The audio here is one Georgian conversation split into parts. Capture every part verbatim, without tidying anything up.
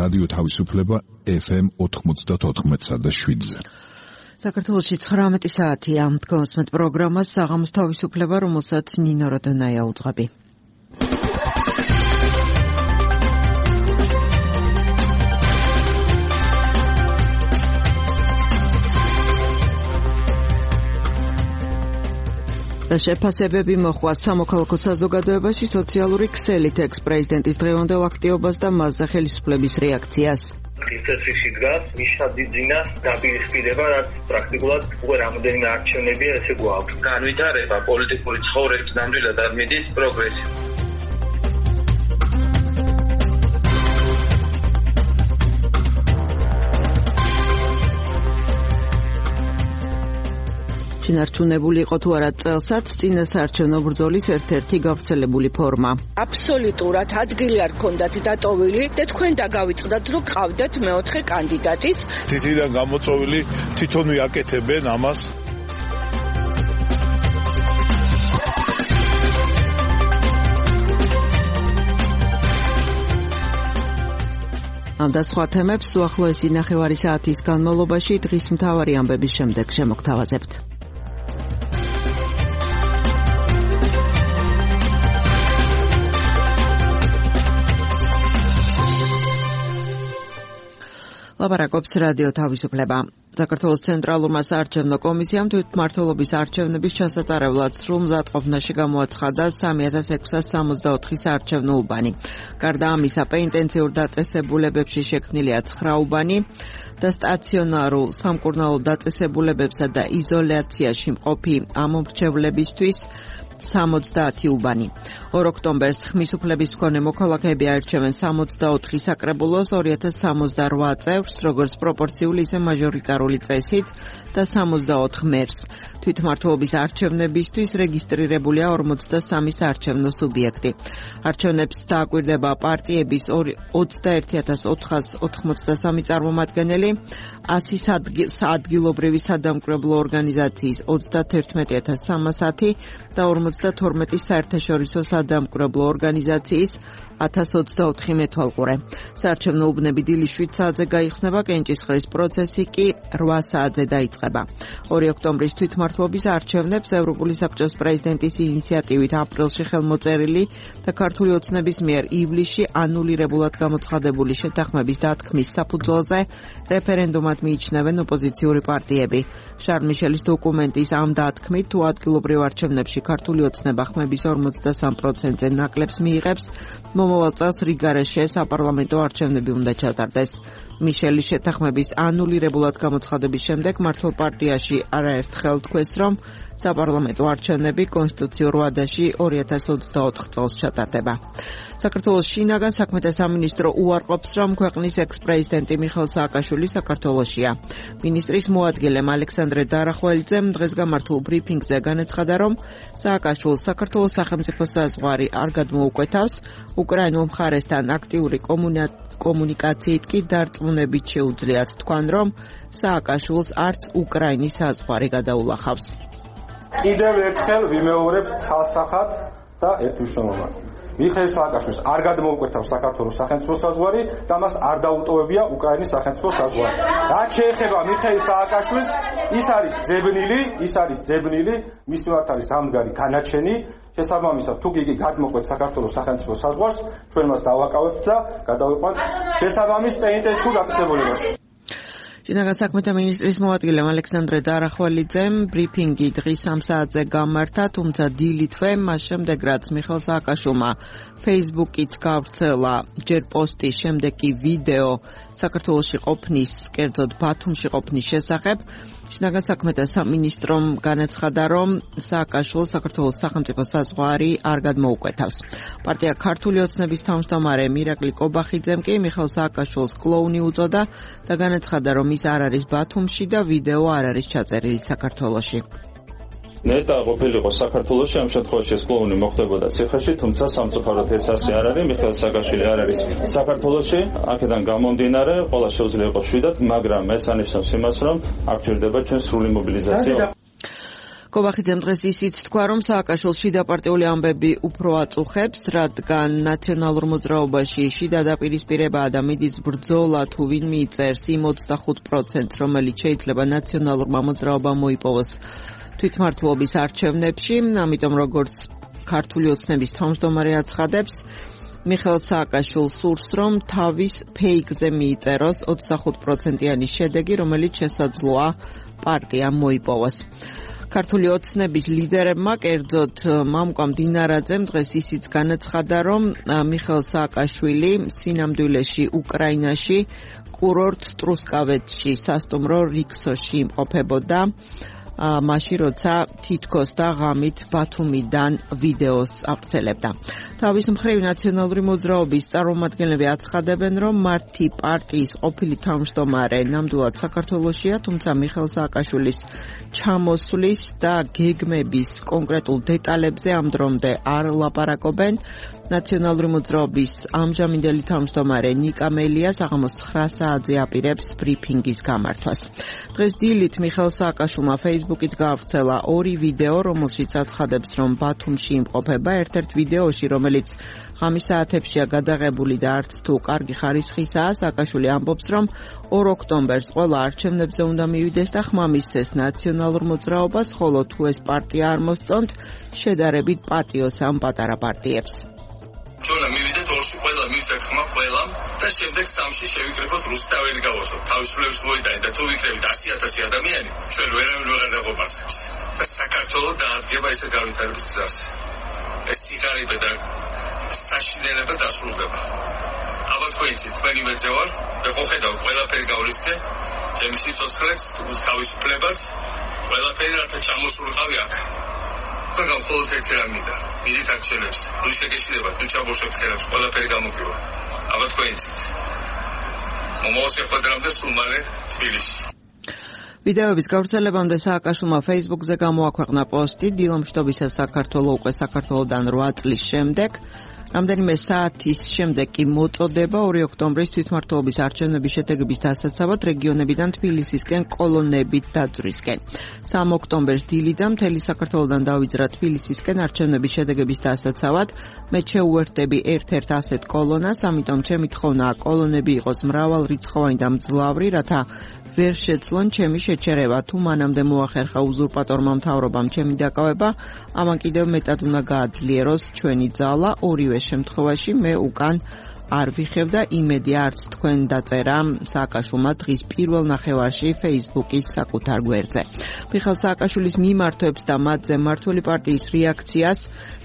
რადიო თავისუფლება ეფ ემ ოთხმოცდაოთხ და შვიდზე. საქართველოში ცხრამეტი საათია. გოსმეთ პროგრამას საღამოს თავისუფლება, რომელსაც ნინო როდონაია უძღვები. შეფასებები მოხვა სამოქალაქო საზოგადოებაში სოციალური ქსელით ექს-პრეზიდენტის დღევანდელ აქტივობას და მასზე ხელისუფლების რეაქციას. წესრიგში დგას მიშადიძინას დაპირისპირება, რაც პრაქტიკულად უკვე რამოდენიმე არჩევნებია, ესე გვაქვს. განვითარება პოლიტიკური ცხოვრების ნამდვილად არ მიდის პროგრესი. შინარჩუნებული იყო თუ არა წელსაც წინასაარჩევნო ბრძოლის ერთ-ერთი გავრცელებული ფორმა. აბსოლუტურად ადგილი არ ქონდათ დატოვილი და თქვენ დაგავიწყდათ, რომ ყავდათ მეოთხე კანდიდატის. თითიდან გამოწვეული თვითონ ვიაკეთებენ ამას. ამ და სხვა თემებს უახლოესი ნახევარი საათის განმავლობაში დღის მთავარი ამბების შემდეგ შემოგთავაზებთ. ლაპარაკობს რადიო თავისუფლება. საქართველოს ცენტრალურმა საარჩევნო კომისიამ თვითმმართველობის არჩევნების ჩასატარებლად სრულ მზადყოფნაში გამოაცხადა სამი ათას ექვსას სამოცდაოთხი საარჩევნო უბანი. გარდა ამისა, პეინტენსიურ დაწესებულებებში შექმნილია ცხრა უბანი და სტაციონარულ სამკურნალო დაწესებულებებსა და იზოლაციაში მყოფი ამომრჩევლებისთვის სამოცდაათი უბანი. ორ ოქტომბერს ხმის უფლების მქონე მოქალაქეები აირჩევენ სამოცდაოთხი საკრებულოს ორი ათას სამოცდარვა წევრს, როგორც პროპორციული, ისე მაჟორიტარული წესით და სამოცდაოთხ მერს. თვითმმართველობის არჩევნებისთვის რეგისტრირებულია ორმოცდასამი საარჩევნო სუბიექტი. არჩევნებს დააკვირდება პარტიების ოცდაერთი ათას ოთხას ოთხმოცდასამი წარმომადგენელი, ასი ადგილობრივი სადამკვირვებლო ორგანიზაციის ოცდათერთმეტი ათას სამასათი და ორმოცდათორმეტი საერთაშორისო სადამკვირვებლო ორგანიზაციის ათას ოცდაოთხი მეთვალყურე. საარჩევნო უბნები დილის შვიდ საათზე გაიხსნება, კენჭისყრის პროცესი კი რვა საათზე დაიწყება. ორი ოქტომბრის თვითმმართველობის არჩევნებს ევროპული საბჭოს პრეზიდენტის ინიციატივით აპრილში ხელმოწერილი და ქართული ოცნების მიერ ივლისში ანულირებულად გამოცხადებული შეთანხმების დათქმის საფუძველზე რეფერენდუმად მიიჩნევენ ოპოზიციური პარტიები. შარლ მიშელის დოკუმენტის ამ დათქმით, თუ ადგილობრივ არჩევნებში ქართული ოცნება ხმების ორმოცდასამ პროცენტზე ნაკლებს მიიღებს, მომავალ წელს რიგარეშე საპარლამენტო არჩევნები უნდა ჩატარდეს. მიშელის შეთანხმების ანულირებულად გამოცხადების შემდეგ მართლ პარტიაში არაერთხელ თქვეს, რომ საპარლამენტო არჩევნები კონსტიტუციურ ვადაში ორი ათას ოცდაოთხ წელს ჩატარდება. საქართველოს შინაგან საქმეთა სამინისტრო უარყოფს, რომ ქვეყნის ექს-პრეზიდენტი მიხეილ სააკაშვილი საქართველოშია. მინისტრის მოადგილემ ალექსანდრე დარახველიძემ დღეს გამართულ ბრიფინგზე განაცხადა, რომ სააკაშვილს საქართველოს სახელმწიფო საზღვარი არ გადმოუკვეთავს, უკრაინულ მხარესთან აქტიური კომუნიკაციით კი დარწმუნებით შეუძლიათ თქვან, რომ სააკაშვილს არც უკრაინის საზღვარი გადაულახავს. კიდევ ერთხელ ვიმეორებ ცალსახად და ერთმნიშვნელოვნად. მიხეილ სააკაშვილს არ გადმოუკვეთავს საქართველოს სახელმწიფო საზღვარი და მას არ დაუტოვებია უკრაინის სახელმწიფო საზღვარი. რაც შეეხება მიხეილ სააკაშვილს, ის არის ძებნილი, ის არის ძებნილი, მის მიმართ არის დამდგარი განაჩენი. შესაბამისად, თუ იგი გადმოკვეთ საქართველოს სახელმწიფო საზღვარს, ჩვენ მას დავაკავებთ და გადავიყვანთ შესაბამის პენიტენციურ დაწესებულებაში. შინაგან საქმეთა მინისტრის მოადგილემ ალექსანდრე დარახველიძემ ბრიფინგი დღის სამ საათზე გამართა, თუმცა დილითვე მას შემდეგ, რაც მიხეილ სააკაშვილმა Facebook-ით გავრცელა ჯერ პოსტის, შემდეგ კი ვიდეო საქართველოში ყოფნის, კერძოდ ბათუმში ყოფნის შესახებ, შინაგან საქმეთა სამინისტრომ განაცხადა, რომ სააკაშვილს საქართველოს სახელმწიფო საზღვარი არ გადმოუკვეთავს. პარტია ქართული ოცნების თავმჯდომარე მირაკლი კობახიძემ კი მიხეილ სააკაშვილს კლოუნი უწოდა და განაცხადა, რომ ის არ არის ბათუმში და ვიდეო არ არის ჩაწერილი საქართველოში. ნეტა ყოფილიყო საქართველოში, ამ შემთხვევაში ეს კლოუნი მოხდებოდა ციხეში, თუმცა სამწუხაროდ ეს ასე არ არის. მიხეილ სააკაშვილი არ არის საქართველოში, აქედან გამომდინარე, ყველა შეუძლია იყოს შვიდად, მაგრამ ეს ანიშნავს იმას, რომ აქ ჭირდება ჩვენ სრული მობილიზაცია. კობახიძემ დღეს ისიც თქვა, რომ სააკაშვილს შიდაპარტიული ამბები უფრო აწუხებს, რადგან ნაციონალურ მოძრაობაში შიდა დაპირისპირებაა და მიდის ბრძოლა თუ ვინ მიიწერს იმ ოცდახუთ პროცენტს, რომელიც შეიძლება ნაციონალურმა მოძრაობამ მოიპოვოს თვითმმართველობის არჩევნებში, ამიტომ როგორც ქართული ოცნების თავმჯდომარე აცხადებს, მიხეილ სააკაშვილს სურს, რომ თავის ფეიქზე მიიწეროს ოცდახუთ პროცენტიანი შედეგი, რომელიც შესაძლოა პარტიამ მოიპოვოს. ქართული ოცნების ლიდერებმა, კერძოდ მამუკამ დინარაძემ დღეს ისიც განაცხადა, რომ მიხეილ სააკაშვილი სინამდვილეში უკრაინაში კურორტ ტრუსკავეთში სასტუმრო რიქსოში იმყოფებოდა, მაშინ როცა თითქოს და ღამით ბათუმიდან ვიდეოს აღწელებდა. თავის მხრივ ნაციონალური მოძრაობის წარმომადგენლები აცხადებენ, რომ მათი პარტიის ყოფილი თავმჯდომარე ნამდვილად საქართველოშია, თუმცა მიხეილ სააკაშვილის ჩამოსვლის და გეგმების კონკრეტულ დეტალებზე ამ დრომდე არ ლაპარაკობენ. ნაციონალური მოძრაობის ამჟამინდელი თავმჯდომარე ნიკა მელია საღამოს ცხრა საათზე აპირებს ბრიფინგის გამართვას. დღეს დილით მიხეილ სააკაშვილმა ფეისბუქით გაავრცელა ორი ვიდეო, რომელშიც აცხადებს, რომ ბათუმში იმყოფება. ერთ-ერთ ვიდეოში, რომელიც ღამის საათებშია გადაღებული და არც თუ კარგი ხარისხისაა, სააკაშვილი ამბობს, რომ ორ ოქტომბერს ყველა არჩევნებზე უნდა მივიდეს და ხმამისცეს ნაციონალურ მოძრაობას, ხოლო თუ ეს პარტია არ მოსწონთ, შედარებით პატიოს ამ პატარა პარტიებს. ჩვენა მივიდეთ ორში ყველა მივცეთ ხმა ყველამ და შემდეგ სამში შევიკრიბოთ რუსთაველი გავოსოთ თავისუფლების მოედანი და თუ ვიქნებით ასი ათასი ადამიანი ჩვენ ვერავინ ვეღარ დაღობარცებს და საქართველოს დაადგება ესე გავითარების გზას. ეს სიხარიბე და საშინელება დასრულდება. ალბათ თქვენიცით თქვენი მეძე ვარ და ხო ხედავ ყველაფერი გავლისკე ჩემი სიცოცხლეც თავისუფლებას ყველაფერი რათა ჩამოსულიყავი აქ. თქვენ მხოლოდ ერთი რამ მინდა მიდით არჩევნებს თუ შეგეშინებათ თუ ჩამოშევთ ხელებს ყველაფერი გამოგივა. ალბათ თქვენიცით მომავალ შეხვედრამდე სულ მალე თბილისში. ვიდეოების გავრცელებამდე სააკაშვილმა ფეისბუქზე გამოაქვეყნა პოსტი დილამშვიდობისა საქართველო უკვე საქართველოდან რვა წლის შემდეგ. რამდენიმე საათის შემდეგ კი მოწოდება ორი ოქტომბრის თვითმმართველობის არჩევნების შედეგების დასაცავად რეგიონებიდან თბილისისკენ კოლონებით დაძვრისკენ. სამი ოქტომბერს დილიდან მთელი საქართველოდან დავიძრა თბილისისკენ არჩევნების შედეგების დასაცავად. მე შეუერთდები ერთ-ერთ ასეთ კოლონას, ამიტომ ჩემი თხოვნაა კოლონები იყოს მრავალრიცხოვანი და მძლავრი, რათა ვერ შეცლონ ჩემი შეჩერება. თუ მანამდე მოახერხა უზურპატორმა მთავრობამ ჩემი დაკავება, ამან კიდევ მეტად უნდა გააძლიეროს ჩვენი ძალა. ორივე შემთხვევაში მე უკან არ ვიხევ და იმედი არც თქვენ დაწერა სააკაშვილმა დღის პირველ ნახევარში ფეისბუქის საკუთარ გვერდზე. მიხეილ სააკაშვილის მიმართვებს და მათზე მმართველი პარტიის რეაქციას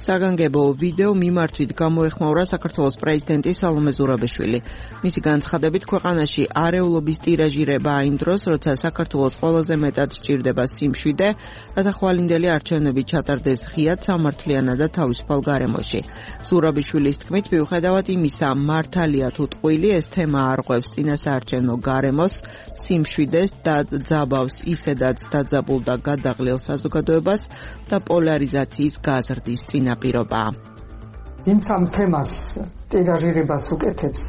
საგანგებო ვიდეო მიმართვით გამოეხმაურა საქართველოს პრეზიდენტი სალომე ზურაბიშვილი. მისი განცხადებით ქვეყანაში არეულობის ტირაჟირება იმ დროს, როცა საქართველოს ყველაზე მეტად სჭირდება სიმშვიდე, რათა ხვალინდელი არჩევნები ჩატარდეს ღიად, სამართლიანად და თავისუფალ გარემოში. ზურაბიშვილის თქმით, მიუხედავად იმისა, მართალია თუ ტყუილი, ეს თემა არღვევს წინასაარჩევნო გარემოს, სიმშვიდეს და ძაბავს ისედაც დაძაბულ და გადაღლილ საზოგადოებას და პოლარიზაციის გაზრდის წინაპირობაა. ვინც ამ თემას ტირაჟირებას უკეთებს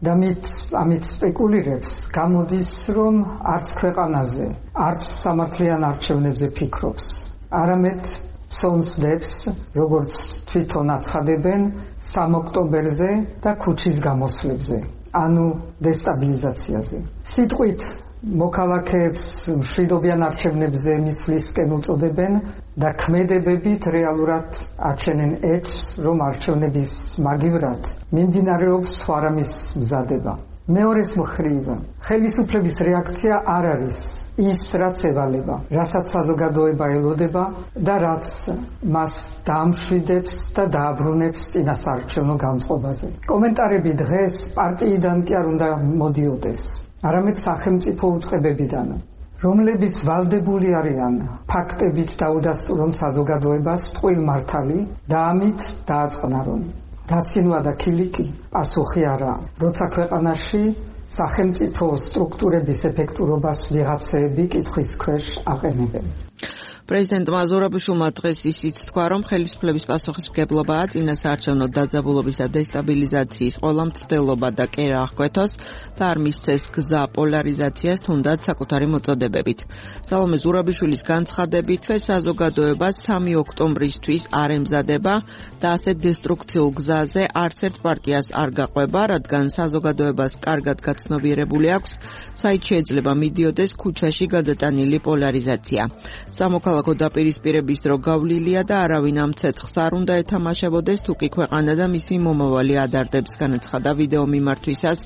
და მით ამით სპეკულირებს, გამოდის, რომ არც ქვეყანაზე, არც სამართლიან არჩევნებზე ფიქრობს. არამედ სონსდებს, როგორც თვითონ აცხადებენ, სამი ოქტომბერზე და ქუჩის გამოსვლებზე, ანუ დესტაბილიზაციაზე. სიტყვით მოქალაქეებს მშვიდობიან არჩევნებზე მისვლისკენ უწოდებენ და ქმედებებით რეალურად აჩენენ ეთს, რომ არჩევნების მაგივრად მიმდინარეობს სხვა რამის მზადება. მეორეს მხრივ, ხელისუფლების რეაქცია არ არის ის, რაც ევალება, რასაც საზოგადოება ელოდება და რაც მას დაამშვიდებს და დააბრუნებს წინასაარჩევნო განწყობაზე. კომენტარები დღეს პარტიიდან კი არ უნდა მოდიოდეს, არამედ სახელმწიფო უწყებებიდან, რომლებიც ვალდებული არიან ფაქტებით დაუდასტურონ საზოგადოებას ტყუილ მართალი და ამით დააწყნარონ. დაცინვა და ქილიკი პასუხი არა, როცა ქვეყანაში სახელმწიფო სტრუქტურების ეფექტურობას ვიღაცები კითხვის ქვეშ აყენებენ. პრეზიდენტმა ზურაბიშვილმა დღეს ისიც თქვა, რომ ხელისუფლების პასუხისმგებლობაა წინა საარჩევნო დაძაბულობის და დესტაბილიზაციის ყველა მცდელობა და კერა აღკვეთოს და არ მისცეს გზა პოლარიზაციას თუნდაც საკუთარი მოწოდებებით. სალომე ზურაბიშვილის განცხადებითვე საზოგადოება სამი ოქტომბრისთვის არ ემზადება და ასეთ დესტრუქციულ გზაზე არც ერთ პარტიას არ გაყვება, რადგან საზოგადოებას კარგად გაცნობიერებული აქვს, საით შეიძლება მიდიოდეს ქუჩაში გადატანილი პოლარიზაცია. სამოქალაქო დაპირისპირების დრო გავლილია და არავინ ამ ცეცხლს არ უნდა ეთამაშებოდეს, თუკი ქვეყანა და მისი მომავალი ადარდებს, განაცხადა ვიდეო მიმართვისას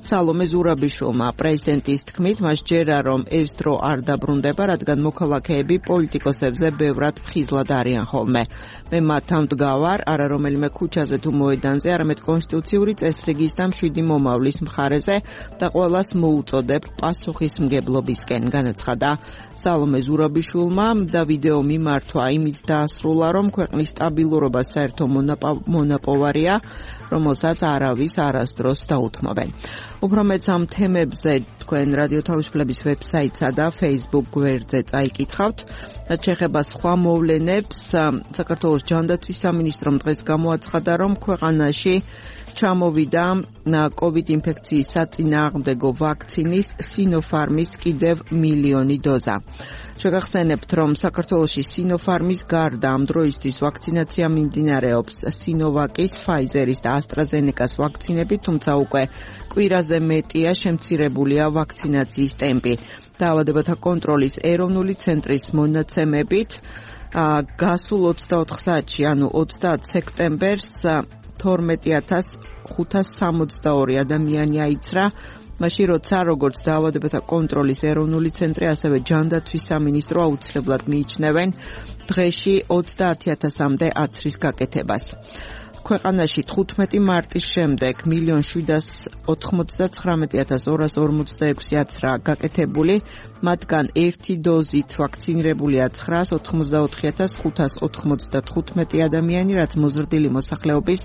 სალომე ზურაბიშვილმა. პრეზიდენტის თქმით, მას ჯერა რომ ეს დრო არ დაბრუნდება, რადგან მოქალაქეები პოლიტიკოსებზე ბევრად ფხიზლად არიან ხოლმე. მე მათ ამდგავარ, არა რომელიმე ქუჩაზე თუ მოედანზე, არამედ კონსტიტუციური წესრიგის და მშვიდი მომავლის მხარეზე და ყველას მოუწოდებ პასუხისმგებლობისკენ, განაცხადა სალომე ზურაბიშვილმა და ვიდეო მიმართვა იმით დაასრულა, რომ ქვეყნის სტაბილურობა საერთო მონაპოვარია, რომელსაც არავის არასდროს დაუთმობენ. უფრო მეც ამ თემებზე თქვენ რადიო თავისუფლების ვებსაიტსა და Facebook გვერდზე წაიკითხავთ. რაც შეეხება სხვა მოვლენებს, საქართველოს ჯანდაცვის სამინისტრომ დღეს გამოაცხადა, რომ ქვეყანაში ჩამოვიდა COVID ინფექციის საწინააღმდეგო ვაქცინის Sinopharm-ის კიდევ მილიონი დოზა. შეგახსენებთ, რომ საქართველოში Sinopharm-ის გარდა ამ დროისთვის ვაქცინაცია მიმდინარეობს Sinovac-ის, Pfizer-ის და AstraZeneca-s ვაქცინები, თუმცა უკვე კვირაზე მეტია შემცირებულია ვაქცინაციის ტემპი. დაავადებათა კონტროლის ეროვნული ცენტრის მონაცემებით, გასულ ოცდაოთხ საათში, ანუ ოცდაათ სექტემბერს თორმეტი ათას ხუთას სამოცდაორი ადამიანი აიცრა, მაშინ როცა როგორც დაავადებათა კონტროლის ეროვნული ცენტრი, ასევე ჯანდაცვის სამინისტრო აუცილებლად მიიჩნევენ დღეში ოცდაათი ათასამდე აცრის გაკეთებას. ქვეყანაში თხუთმეტი მარტის შემდეგ მილიონ შვიდას ოთხმოცდაცხრამეტი ათას ორას ორმოცდაექვსი აცრა გაკეთებული, მათგან ერთი დოზით ვაქცინირებულია ცხრაას ოთხმოცდაოთხი ათას ხუთას ოთხმოცდათხუთმეტი ადამიანი, რაც მოზრდილი მოსახლეობის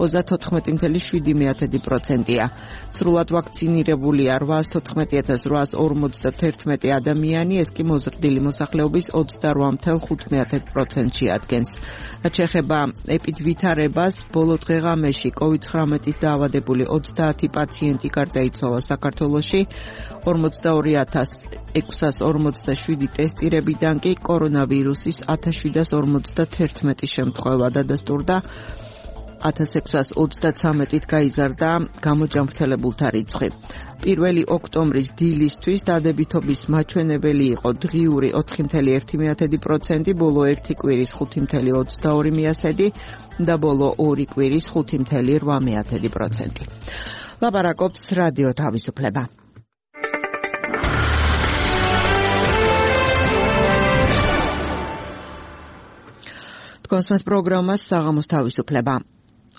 ოცდათოთხმეტი წამსული შვიდი პროცენტია. სრულად ვაქცინირებულია რვაას თოთხმეტი ათას რვაას ორმოცდათერთმეტი ადამიანი, ეს კი მოზრდილი მოსახლეობის ოცდარვა წამსული ხუთი პროცენტი ადგენს. რაც შეეხება ეპიდვითარებას, ბოლო დღეღამეში COVID ცხრამეტით დაავადებული ოცდაათი პაციენტი გარდაიცვალა საქართველოში, ორმოცდაორი ათას ექვსას ორმოცდაშვიდი ტესტირებიდან კი კორონავირუსის ათას შვიდას ორმოცდათერთმეტი შემთხვევა დადასტურდა. ათას ექვსას ოცდაცამეტით გაიზარდა გამოჯანმრთელებულთა რიცხვი. პირველი ოქტომბრის დილისთვის დადებითობის მაჩვენებელი იყო დღიური ოთხი წამსული ერთი პროცენტი, ბოლო ერთი კვირის ხუთი წამსული ოცდაორი და ბოლო ორი კვირის ხუთი წამსული რვა პროცენტი. ლაპარაკობს რადიო თავისუფლება. თქვენს პროგრამას საღამოს თავისუფლება.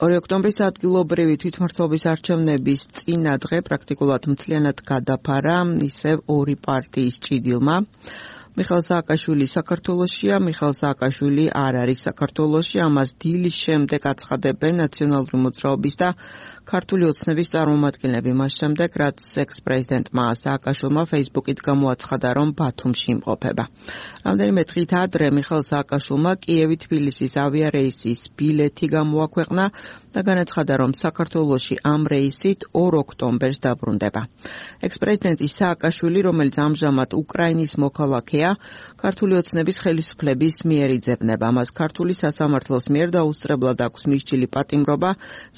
ორი ოქტომბრის ადგილობრივი თვითმმართველობის არჩევნების წინა დღე პრაქტიკულად მთლიანად გადაფარა ისევ ორი პარტიის ჭიდილმა. მიხეილ სააკაშვილი საქართველოშია, მიხეილ სააკაშვილი არ არის საქართველოში, ამას დილის შემდეგ აცხადებენ ნაციონალური მოძრაობის და ქართული ოცნების წარმომადგენლები, მას შემდეგ, რაც ექს-პრეზიდენტმა სააკაშვილმა Facebook-ით გამოაცხადა, რომ ბათუმში იმყოფება. რამდენიმე დღით ადრე მიხეილ სააკაშვილმა კიევი-თბილისის ავიარეისის ბილეთი გამოაქვეყნა და განაცხადა, რომ საქართველოში ამ რეისით ორ ოქტომბერს დაბრუნდება. ექს-პრეზიდენტი სააკაშვილი, რომელიც ამჟამად უკრაინის მოქალაქეა, ქართული ოცნების ხელისუფლების მიერ იძებნება. მას ქართული სასამართლოს მიერ დაუსწრებლად აქვს მისჯილი პატიმრობა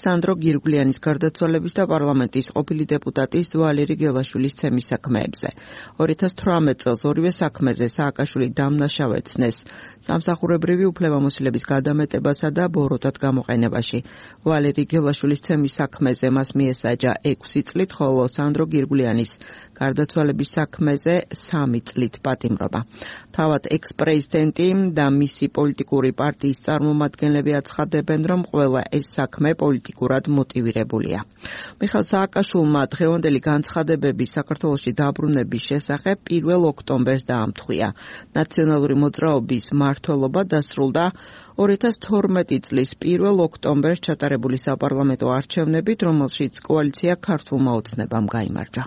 სანდრო გირგვლიანის გარდაცვალების და პარლამენტის ყოფილი დეპუტატის ვალერი გელაშვილის თემის საქმეებზე. ორი ათას თვრამეტ წელს ორივე საქმეზე სააკაშვილი დამნაშავეცნეს სამსახურებრივი უფლებამოსილების გადამეტებასა და ბოროტად გამოყენებაში. ვალერი გელაშვილის თემის საქმეზე მას მიესაჯა ექვსი წლით, ხოლო სანდრო გირგვლიანის გარდაცვალების საქმეზე სამი წლით პატიმრობა. თავად ექს-პრეზიდენტი და მისი პოლიტიკური პარტიის წარმომადგენლები აცხადებენ, რომ ყველა ეს საქმე პოლიტიკურად მოტივირებულია. მიხეილ სააკაშვილმა დღევანდელი განცხადებები საქართველოში დაბრუნების შესახებ პირველ ოქტომბერს დაამტყვია. ნაციონალური მოძრაობის მმართველობა დასრულდა ორი ათას თორმეტი წლის პირველ ოქტომბერს ჩატარებული საპარლამენტო არჩევნებით, რომელშიც კოალიცია ქართულმა ოცნებამ გაიმარჯვა.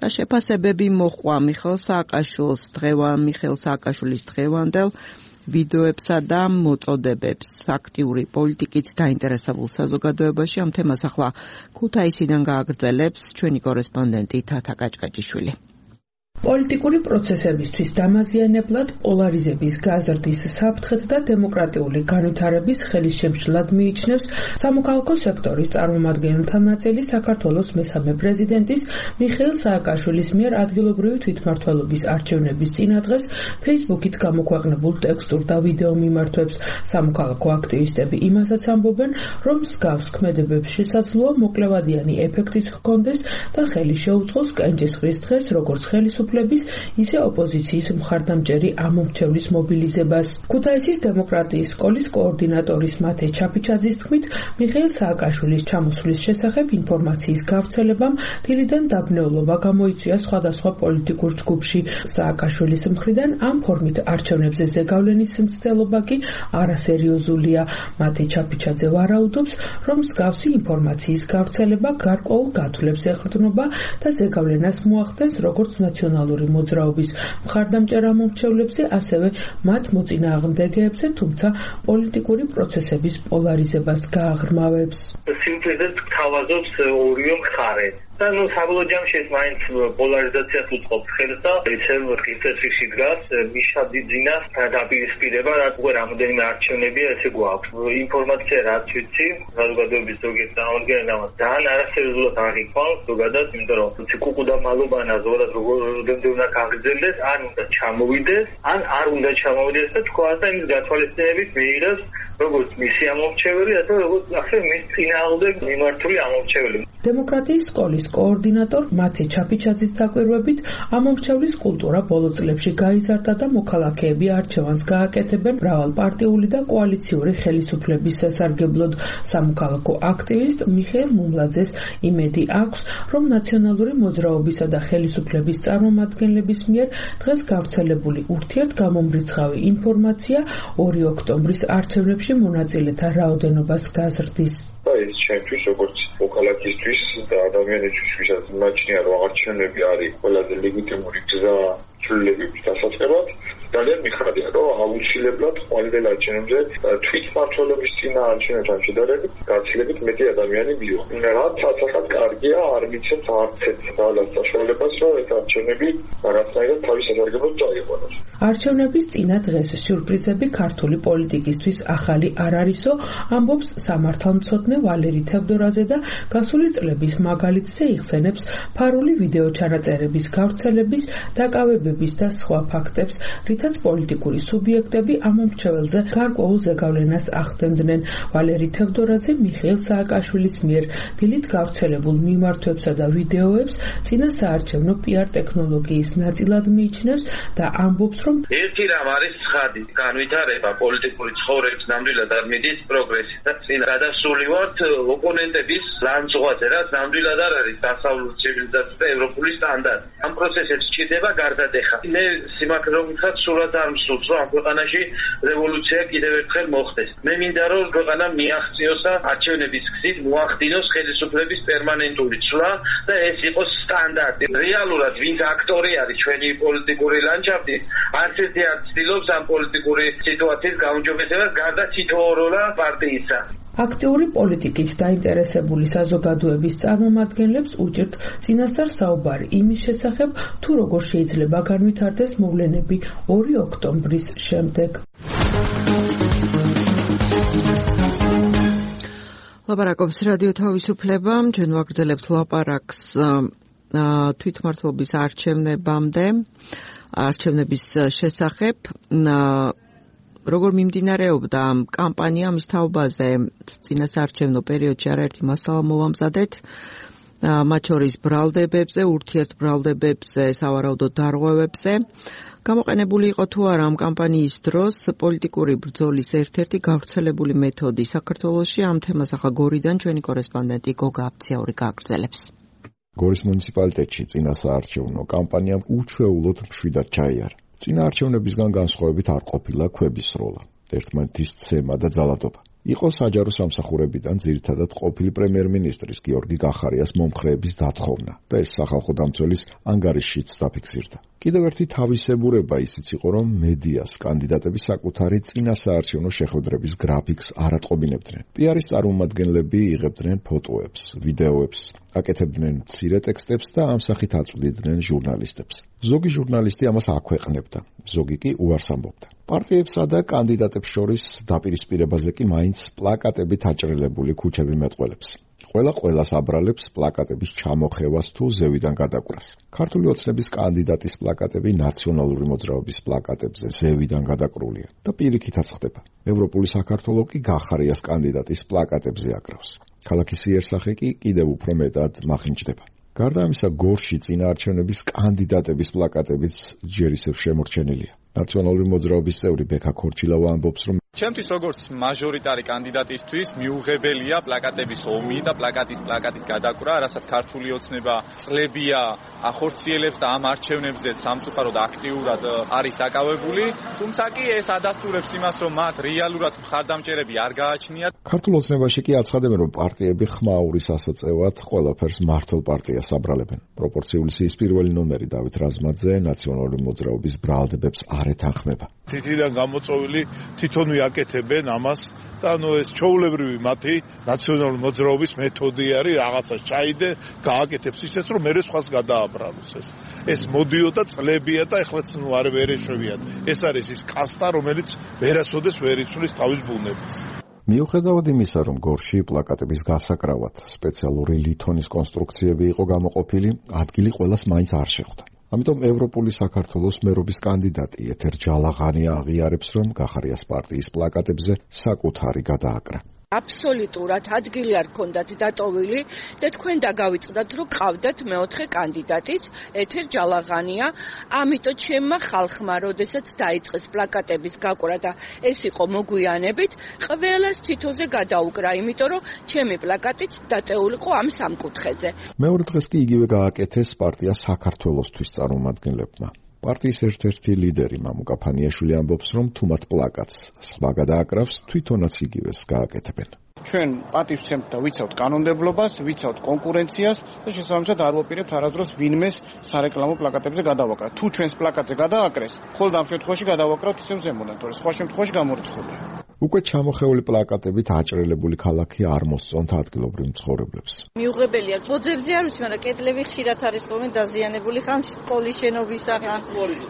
რა შეფასებები მოჰყვა მიხეილ სააკაშვილის დღევანდელ მიხეილ სააკაშვილის დღევანდელ ვიდეოებსა და მოწოდებებს აქტიური პოლიტიკით დაინტერესებულ საზოგადოებაში. ამ თემას ახლა ქუთაისიდან გააგრძელებს ჩვენი კორესპონდენტი თათა კაჭკაჭიშვილი. პოლიტიკური პროცესებისთვის დამაზიანებლად პოლარიზების გაზრდის საფრთხეთ და დემოკრატიული განვითარების ხელისშემშლად მიიჩნევს სამოქალაქო სექტორის წარმომადგენელთა ნაწილი საქართველოს მესამე პრეზიდენტის მიხეილ სააკაშვილის მიერ ადგილობრივი თვითმმართველობის არჩევნების წინადღეს Facebook-ით გამოქვეყნებულ ტექსტურ და ვიდეო მიმართვებს. სამოქალაქო აქტივისტები იმასაც ამბობენ, რომ მსგავს ქმედებებს შესაძლოა მოკლევადიანი ეფექტიც ჰქონდეს და ხელი შეუწყოს კენჭისყრის დღეს როგორც ხელისუფლების ისე ოპოზიციის მხარდამჭერი ამომრჩევლის მობილიზებას. ქუთაისის დემოკრატიის სკოლის კოორდინატორის მათე ჩაფიჩაძის თქმით, მიხეილ სააკაშვილის ჩამოსვლის შესახებ ინფორმაციის გავრცელებამ დილიდან დაბნეულობა გამოიწვია სხვადასხვა პოლიტიკურ ჯგუფში. სააკაშვილის მხრიდან ამ ფორმით არჩევნებზე ზეგავლენის მცდელობა კი არასერიოზულია. მათე ჩაფიჩაძე ვარაუდობს, რომ მსგავსი ინფორმაციის გავრცელება გარკვეულ გათვლებს ეყრდნობა და ზეგავლენას მოახდენს როგორც ნაციონალური მოძრაობის მხარდამჭერ ამომრჩევლებზე, ასევე მათ მოწინააღმდეგეებზე, თუმცა პოლიტიკური პროცესების პოლარიზებას გააღრმავებს. სიმწედეც გთავაზობს ორივე მხარე. და ნუ საბოლოო ჯამში ეს მაინც პოლარიზაციას უწყობს ხელს და ისევ რკინწესში დგას მიშა დიდძინას დაპირისპირება, რაც უკვე რამოდენიმე არჩევნებია, ესე გვაქვს. ინფორმაცია რაც ვიცი, საზოგადოების ზოგიერთ წარმომადგენელს ძალიან არასერიოზულად აღიქვამს ზოგადად, იმიტომ რომ ციკუკუდა მალობანა ზოგადად როგორ უნდა გაგრძელდეს, ან უნდა ჩამოვიდეს, ან არ უნდა ჩამოვიდეს და თქვა და იმის გათვალისწინებით მიიღებს როგორც მისი ამომრჩეველი, ასე როგორც ახლა მის წინააღმდეგ მიმართული ამომრჩეველი. დემოკრატიის სკოლის კოორდინატორ მათე ჩაფიჩაძის დაკვირვებით, ამომრჩევლის კულტურა ბოლო წლებში გაიზარდა და მოქალაქეები არჩევანს გააკეთებენ მრავალპარტიული და კოალიციური ხელისუფლების სასარგებლოდ. სამოქალაქო აქტივისტ მიხეილ მუმლაძეს იმედი აქვს, რომ ნაციონალური მოძრაობისა და ხელისუფლების წარმომადგენლების მიერ დღეს გავრცელებული ურთიერთგამომრიცხავი ინფორმაცია ორი ოქტომბრის არჩევნებში მონაწილეთა რაოდენობას გაზრდის. ეს ჩემთვის როგორც მოქალაქისთვის და ადამიანისთვის ვისაც მაჩნია რომ არჩევნები არის ყველაზე ლეგიტიმური გზა ცვლილებების დასაწყებად, ძალიან მიხარია რომ აუცილებლად ყოველ არჩევნებზე თვითმმართველობის წინა არჩევნებთან შედარებით გაცილებით მეტი ადამიანი მივიღო. რაც ასახად კარგია, არ მიცემს არც ერთ ძალას საშუალებას რომ ეს არჩევნები რაღაცნაირად თავის სასარგებლოდ წაიყვანოს. არჩევნების წინა დღეს სიურპრიზები ქართული პოლიტიკისთვის ახალი არ არისო, ამბობს სამართალმცოდნე ვალერი თევდორაძე და გასული წლების მაგალითზე იხსენებს ფარული ვიდეო ჩანაწერების გავრცელების, დაკავებების და სხვა ფაქტებს, რითაც პოლიტიკური სუბიექტები ამომრჩეველზე გარკვეულ ზეგავლენას ახდენდნენ. ვალერი თევდორაძე მიხეილ სააკაშვილის მიერ დილით გავრცელებულ მიმართვებსა და ვიდეოებს წინა საარჩევნო პიარ ტექნოლოგიის ნაწილად მიიჩნევს და ამბობს, რომ ერთი რამ არის ცხადი, განვითარება პოლიტიკური ცხოვრების ნამდვილად არ მიდის პროგრესი და წინ გადასული ვართ ოპონენტების ლანძღვაზე, რაც ნამდვილად არ არის დასავლური ცივილიზაცია და ევროპული სტანდარტი. ამ პროცესებს სჭირდება გარდატეხა. მე სიმართლე რომ ვთქვათ, სულაც არ მსურს, რომ ამ ქვეყანაში რევოლუცია კიდევ ერთხელ მოხდეს. მე მინდა რომ ქვეყანა მიაღწიოს და არჩევნების გზით მოახდინოს ხელისუფლების პერმანენტული ცვლა და ეს იყოს სტანდარტი. რეალურად ვინც აქტორი არის ჩვენი პოლიტიკური ლანდშაფტის, არც ერთი არ ცდილობს ამ პოლიტიკური სიტუაციის გაუმჯობესებას გარდა თითოეულა პარტიისა. აქტიური პოლიტიკით დაინტერესებული საზოგადოების წარმომადგენლებს უჭირთ წინასწარ საუბარი იმის შესახებ, თუ როგორ შეიძლება განვითარდეს მოვლენები ორი ოქტომბრის შემდეგ. ლაპარაკობს რადიო თავისუფლება, ჩვენ ვაგრძელებთ ლაპარაკს თვითმმართველობის არჩევნებამდე, არჩევნების შესახებ. როგორ მიმდინარეობდა კამპანია მის თაობაზე წინასაარჩევნო პერიოდში არაერთი მასალა მოვამზადეთ, მათ შორის ბრალდებებზე, ურთიერთბრალდებებზე, სავარაუდო დარღვევებზე. გამოყენებული იყო თუ არა ამ კამპანიის დროს პოლიტიკური ბრძოლის ერთ-ერთი გავრცელებული მეთოდი საქართველოში. ამ თემას ახლა გორიდან ჩვენი კორესპონდენტი გოგა აფციაური გააგრძელებს. გორის მუნიციპალიტეტში წინასაარჩევნო კამპანიამ უჩვეულოდ მშვიდად ჩაიარა. წინა არჩევნებისგან განსხვავებით არ ყოფილა ქვების სროლა, ერთმანეთის ცემა და ძალადობა. იყო საჯარო სამსახურებიდან ძირითადად ყოფილი პრემიერ-მინისტრის გიორგი გახარიას მომხრეების დათხოვნა და ეს სახალხო დამცველის ანგარიშშიც დაფიქსირდა. კიდევ ერთი თავისებურება ისიც იყო, რომ მედიას კანდიდატების საკუთარი წინასაარჩევნო შეხვედრების გრაფიკს არ ატყობინებდნენ. პიარის წარმომადგენლები იღებდნენ ფოტოებს, ვიდეოებს, აკეთებდნენ მცირე ტექსტებს და ამ სახით აწვდიდნენ ჟურნალისტებს. ზოგი ჟურნალისტი ამას აქვეყნებდა, ზოგი კი უარს ამბობდა. პარტიებსა და კანდიდატებს შორის დაპირისპირებაზე კი მაინც პლაკატებით აჭრილებული ქუჩები მეტყველებს. ყველა ყველას აბრალებს პლაკატების ჩამოხევას თუ ზევიდან გადაკვრას. ქართული ოცნების კანდიდატის პლაკატები ნაციონალური მოძრაობის პლაკატებზე ზევიდან გადაკრულია და პირიქითაც ხდება. ევროპული საქართველო კი გახარიას კანდიდატის პლაკატებზე აკრავს. ქალაქის იერსახე კი კიდევ უფრო მეტად მახინჯდება. გარდა ამისა, გორში წინაარჩევნების კანდიდატების პლაკატებიც ჯერ ისევ შემორჩენილია. ნაციონალური მოძრაობის წევრი ბექა ქორჩილავა ამბობს, რომ ჩემთვის როგორც მაჟორიტარი კანდიდატისთვის მიუღებელია პლაკატების ომი და პლაკატის პლაკატით გადაკვრა, რასაც ქართული ოცნება წლებია ახორციელებს და ამ არჩევნებზე სამწუხაროდ აქტიურად არის დაკავებული, თუმცა კი ეს ადასტურებს იმას, რომ მათ რეალურად მხარდამჭერები არ გააჩნიათ. ქართულ ოცნებაში კი აცხადებენ, რომ პარტიები ხმაურის ასაწევად ყველაფერს მართლ პარტიას აბრალებენ. პროპორციული სიის პირველი ნომერი დავით რაზმაძე ნაციონალური მოძრაობის ბრალდებებს არ ეთანხმება. თითიდან გამოწვეული თვითონ აკეთებენ ამას და ანუ ეს ჩაულებრივი მათი ნაციონალური მოძრაობის მეთოდი არის, რაღაცას ჩაიდე, გააკეთებს ისეც, რომ მერე სხვას გადააბრალოს ეს. ეს მოდიოდა წლებია და ეხლაც ნუ არ ვერ ეშვებიან. ეს არის ის კასტა, რომელიც ვერასოდეს ვერ იცვლის თავის ბუნებას. მიუხედავად იმისა, რომ გორში პლაკატების გასაკრავად სპეციალური ლითონის კონსტრუქციები იყო გამოყოფილი, ადგილი ყველას მაინც არ შეხვდა. ამიტომ ევროპული საქართველოს მერობის კანდიდატი ეთერ ჯალაღანია აღიარებს, რომ გახარიას პარტიის პლაკატებზე საკუთარი გადააკრა. აბსოლუტურად ადგილი არ ქონდათ დატოვილი და თქვენ დაგავიწყდათ, რომ ყავდათ მეოთხე კანდიდატიც ეთერ ჯალაღანია, ამიტომ ჩემმა ხალხმა, როდესაც დაიწყეს პლაკატების გაკვრა და ეს იყო მოგვიანებით, ყველას თითოზე გადაუკრა, იმიტომ რომ ჩემი პლაკატიც დატეულიყო ამ სამკუთხედზე. მეორე დღეს კი იგივე გააკეთეს პარტია საქართველოსთვის წარმომადგენლებმა. პარტიის ერთ-ერთი ლიდერი მამუკა ფანიაშვილი ამბობს, რომ თუ მათ პლაკატს სხვა გადააკრავს, თვითონაც იგივეს გააკეთებენ. ჩვენ პატივს ვცემთ და ვიცავთ კანონმდებლობას, ვიცავთ კონკურენციას და შესაბამისად არ ვაპირებთ არასდროს ვინმეს სარეკლამო პლაკატებზე გადავაკრათ. თუ ჩვენს პლაკატზე გადააკრეს, ხოლმე ამ შემთხვევაში გადავაკრავთ ისევ ზემოდან, თორე სხვა შემთხვევაში გამორიცხულია. უკვე ჩამოხეული პლაკატებით აჭრელებული ქალაქი არ მოსწონთ ადგილობრივ მცხოვრებლებს. მიუღებელია, ბოძებზე არ ვიცი, მაგრამ კედლები ხშირად არის ხოლმე დაზიანებული, ხან სკოლის შენობის, ხან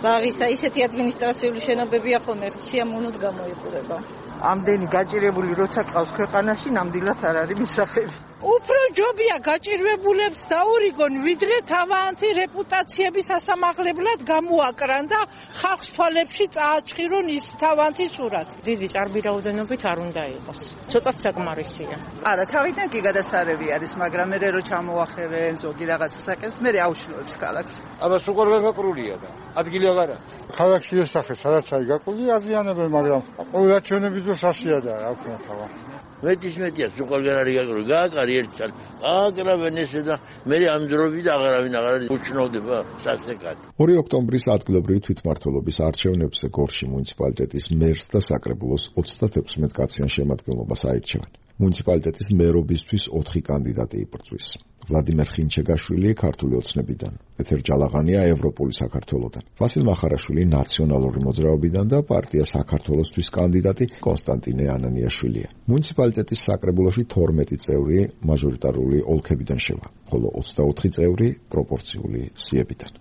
ბაღის და ისეთი ადმინისტრაციული შენობებია ხოლმე სიამოვნოდ გამოიყურება. ამდენი გაჭირებული როცა ყავს ქვეყანაში, ნამდვილად არ არის მისაღები. უფრო ჯობია გაჭირვებულებს დაურიგონ, ვიდრე თავიანთი რეპუტაციების ასამაღლებლად გამოაკრან და ხალხს თვალებში წააჩხირონ ის თავიანთი სურათი. დიდი ჭარბი რაოდენობით არ უნდა იყოს. ცოტა საკმარისია. არა, თავიდან კი გადასარევი არის, მაგრამ მე რო ჩამოახევენ ზოგი რაღაცას აკეთებს, მე აუშლოებს ქალაქს. აბა სულ გაგაკრულია და ადგილი აღარა. ქალაქში ესახე, სადაც აი გაკრული აზიანებენ, მაგრამ ყველა ჩვენების დროს ასიადა, რა ვქნა თავა. მეტის მეტია, სუყარგან არის გაკრული, გააკარი ერთ წელი. გააკრავენ ესე და მე ამ დროებით აღარავინ აღარ უჩნოვდება სასეკად. ორი ოქტომბრის ადგილობრივი თვითმმართველობის არჩევნებზე გორში მუნიციპალიტეტის მერს და საკრებულოს ოცდათექვსმეტ კაციან შემადგენლობას აირჩევენ. მუნიციპალიტეტის მერობისთვის ოთხი კანდიდატი იბრძვის. ვლადიმერ ხინჩეგაშვილი ქართული ოცნებიდან, ეთერ ჯალაღანია ევროპული საქართველოდან, ვასილ მახარაშვილი ნაციონალური მოძრაობიდან და პარტია საქართველოსთვის კანდიდატი კონსტანტინე ანანიაშვილია. მუნიციპალიტეტის საკრებულოში თორმეტი წევრი მაჟორიტარული ოლქებიდან შევა, ხოლო ოცდაოთხი წევრი პროპორციული სიებიდან.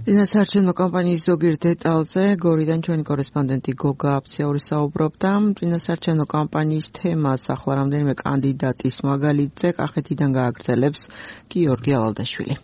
წინასაარჩევნო კამპანიის ზოგიერთ დეტალზე გორიდან ჩვენი კორესპონდენტი გოგა აფციაური საუბრობდა. წინასაარჩევნო კამპანიის თემას ახლა რამდენიმე კანდიდატის მაგალითზე კახეთიდან გააგრძელებს გიორგი ალალდაშვილი.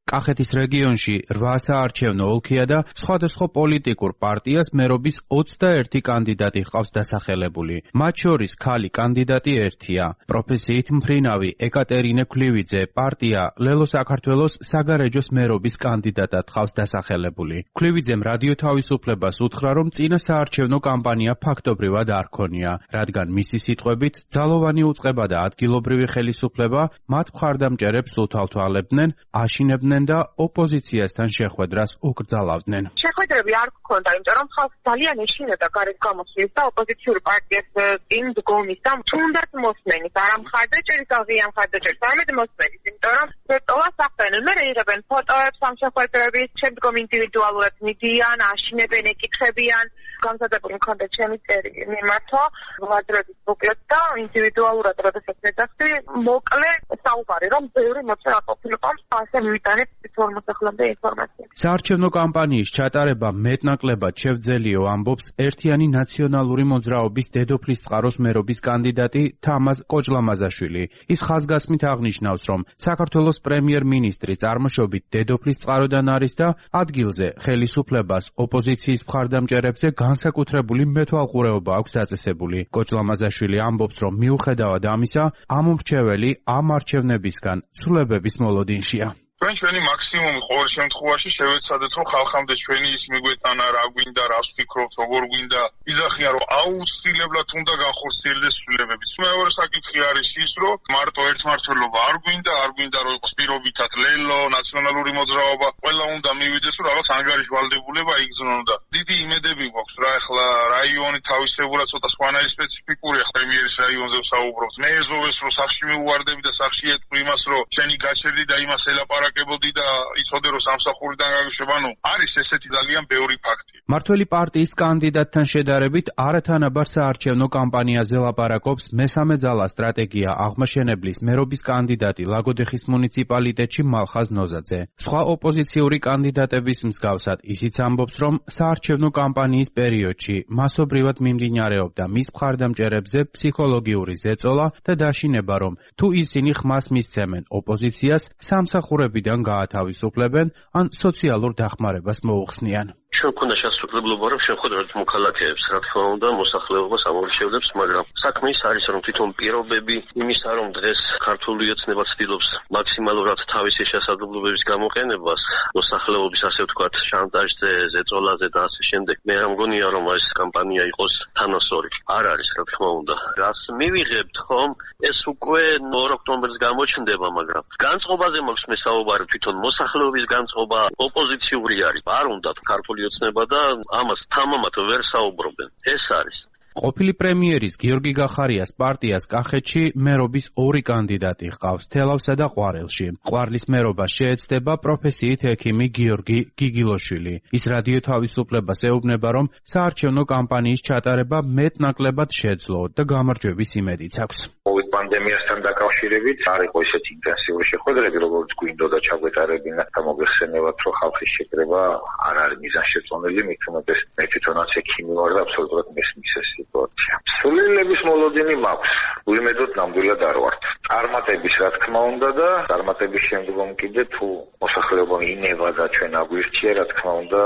კახეთის რეგიონში რვა საარჩევნო ოლქია და სხვადასხვა პოლიტიკურ პარტიას მერობის ოცდაერთი კანდიდატი ჰყავს დასახელებული. მათ შორის ქალი კანდიდატი ერთია. პროფესიით მფრინავი ეკატერინე ქლივიძე პარტია ლელო საქართველოს საგარეჯოს მერობის კანდიდატად ჰყავს დასახელებული. ქლივიძემ რადიო თავისუფლებას უთხრა, რომ წინა საარჩევნო კამპანია ფაქტობრივად არ ქონია, რადგან მისი სიტყვებით ძალოვანი უწყება და ადგილობრივი ხელისუფლება მათ მხარდამჭერებს უთვალთვალებდნენ, აშინებდნენ იღებდნენ და ოპოზიციასთან შეხვედრას უკრძალავდნენ. შეხვედრები არ გქონდა, იმიტომ რომ ხალხს ძალიან ეშინოდა გარეთ გამოსვლის და ოპოზიციური პარტიას წინ დგომის და თუნდაც მოსმენის, არა მხარდაჭერის, აღია მხარდაჭერის, არამედ მოსმენის, იმიტომ რომ ზეწოლას ახდენენ, მე იღებენ ფოტოებს ამ შეხვედრების, შემდგომ ინდივიდუალურად მიდიან, აშინებენ, ეკითხებიან, გამზადებული მქონდა ჩემი წერი მიმართვა ვაძრების ბუკლეტს და ინდივიდუალურად როდესაც მეძახდი მოკლე საუბარი რომ ბევრი მოწევა ყოფილიყო ასე მივიტანეთ თითოეულ მოსახლეობამდე ინფორმაცია. საარჩევნო კამპანიის ჩატარება მეტნაკლებად შევძელიო ამბობს ერთიანი ნაციონალური მოძრაობის დედოფლის წყაროს მერობის კანდიდატი თამაზ კოჭლამაზაშვილი. ის ხაზგასმით აღნიშნავს, რომ საქართველოს პრემიერ-მინისტრი წარმოშობით დედოფლის წყაროდან არის და ადგილზე ხელისუფლებას ოპოზიციის მხარდამჭერებზე განსაკუთრებული მეთვალყურეობა აქვს დაწესებული. კოჭლამაზაშვილი ამბობს, რომ მიუხედავად ამისა, ამ მრჩეველი ამ არჩევნებისგან ცვლილებების მოლოდინშია. ჩვენ ჩვენი მაქსიმუმი ყოველ შემთხვევაში შევეცადეთ, რომ ხალხამდე ჩვენი ის მიგვეტანა, რა გვინდა, რას ვფიქრობთ, როგორ გვინდა. იზახიან, რომ აუცილებლად უნდა განხორციელდეს ცვლილებები. მეორე საკითხი არის ის, რომ მარტო ერთმართველობა არ გვინდა, არ გვინდა რომ იყოს პირობითად ლელო, ნაციონალური მოძრაობა, ყველა უნდა მივიდეს, რომ რაღაც ანგარიშვალდებულება იგრძნონ და დიდი იმედები გვაქვს, რა ახლა რაიონი თავისებურად ცოტა სხვანაირი სპეციფიკურია, პრემიერის რაიონზე ვსაუბრობთ. მე ეზოვეს, რომ სახში მივუვარდები და სახში ეთქვი იმას, რომ შენი გაჩერდი და იმას ელაპარაკებოდი და იცოდე, რომ სამსახურიდან გაგიშვება, ნუ არის ესეთი ძალიან ბევრი ფაქტი. მართველი პარტიის კანდიდატთან შედარებით არათანაბარ საარჩევნო კამპანიაზე ლაპარაკობს მესამე ძალა სტრატეგია აღმაშენებლის მერობის კანდიდატი ლაგოდეხის მუნიციპალიტეტში მალხაზ ნოზაძე. სხვა ოპოზიციური კანდიდატების მსგავსად ისიც ამბობს, რომ საარჩევნო კამპანიის პერიოდში მასობრივად მიმდინარეობდა მის მხარდამჭერებზე ფსიქოლოგიური ზეწოლა და დაშინება, რომ თუ ისინი ხმას მისცემენ ოპოზიციას, სამსახურებიდან გაათავისუფლებენ ან სოციალურ დახმარებას მოუხსნიან. ჩვენ ქონდა შესაძლებლობა, რომ შეხვედრად მოქალაქეებს, რა თქმა უნდა, მოსახლეობას ამორჩევდებს, მაგრამ საქმე ის არის, რომ თვითონ პირობები იმისა, რომ დღეს ქართული ოცნება ცდილობს მაქსიმალურად თავისი შესაძლებლობების გამოყენებას, მოსახლეობის ასე ვთქვათ, შანტაჟზე, ზეწოლაზე და ასე შემდეგ. მე რა მგონია, რომ ეს კამპანია იყოს თანასწორი. არ არის, რა თქმა უნდა. რას მივიღებთ, ხომ? ეს უკვე ორ ოქტომბერს გამოჩნდება, მაგრამ განწყობაზე მაქვს მე საუბარი, თვითონ მოსახლეობის განწყობა ოპოზიციური არის. არ უნდა ქართული ოცნება და ამას თამამად ვერ საუბრობენ. ეს არის. ყოფილი პრემიერის გიორგი გახარიას პარტიას კახეთში მერობის ორი კანდიდატი ჰყავს თელავსა და ყვარელში. ყვარლის მერობას შეეცდება პროფესიით ექიმი გიორგი გიგილოშვილი. ის რადიო თავისუფლებას ეუბნება, რომ საარჩევნო კამპანიის ჩატარება მეტნაკლებად შეძლო და გამარჯვების იმედიც აქვს. COVID პანდემიასთან დაკავშირებით არ იყო ისეთი ინტენსიური შეხვედრები, როგორც გვინდოდა ჩაგვეტარებინა და მოგეხსენებათ, რომ ხალხის შეკრება არ არის მიზანშეწონილი, მით უმეტეს მე თვითონაც ექიმი ვარ და აბსოლუტურად მესმის ეს სიტუაცია. სულელების მოლოდინი მაქვს. უიმედოდ ნამდვილად არ ვართ. წარმატების რა თქმა უნდა და წარმატების შემდგომ კიდე თუ მოსახლეობა ინება და ჩვენ აგვირჩია, რა თქმა უნდა,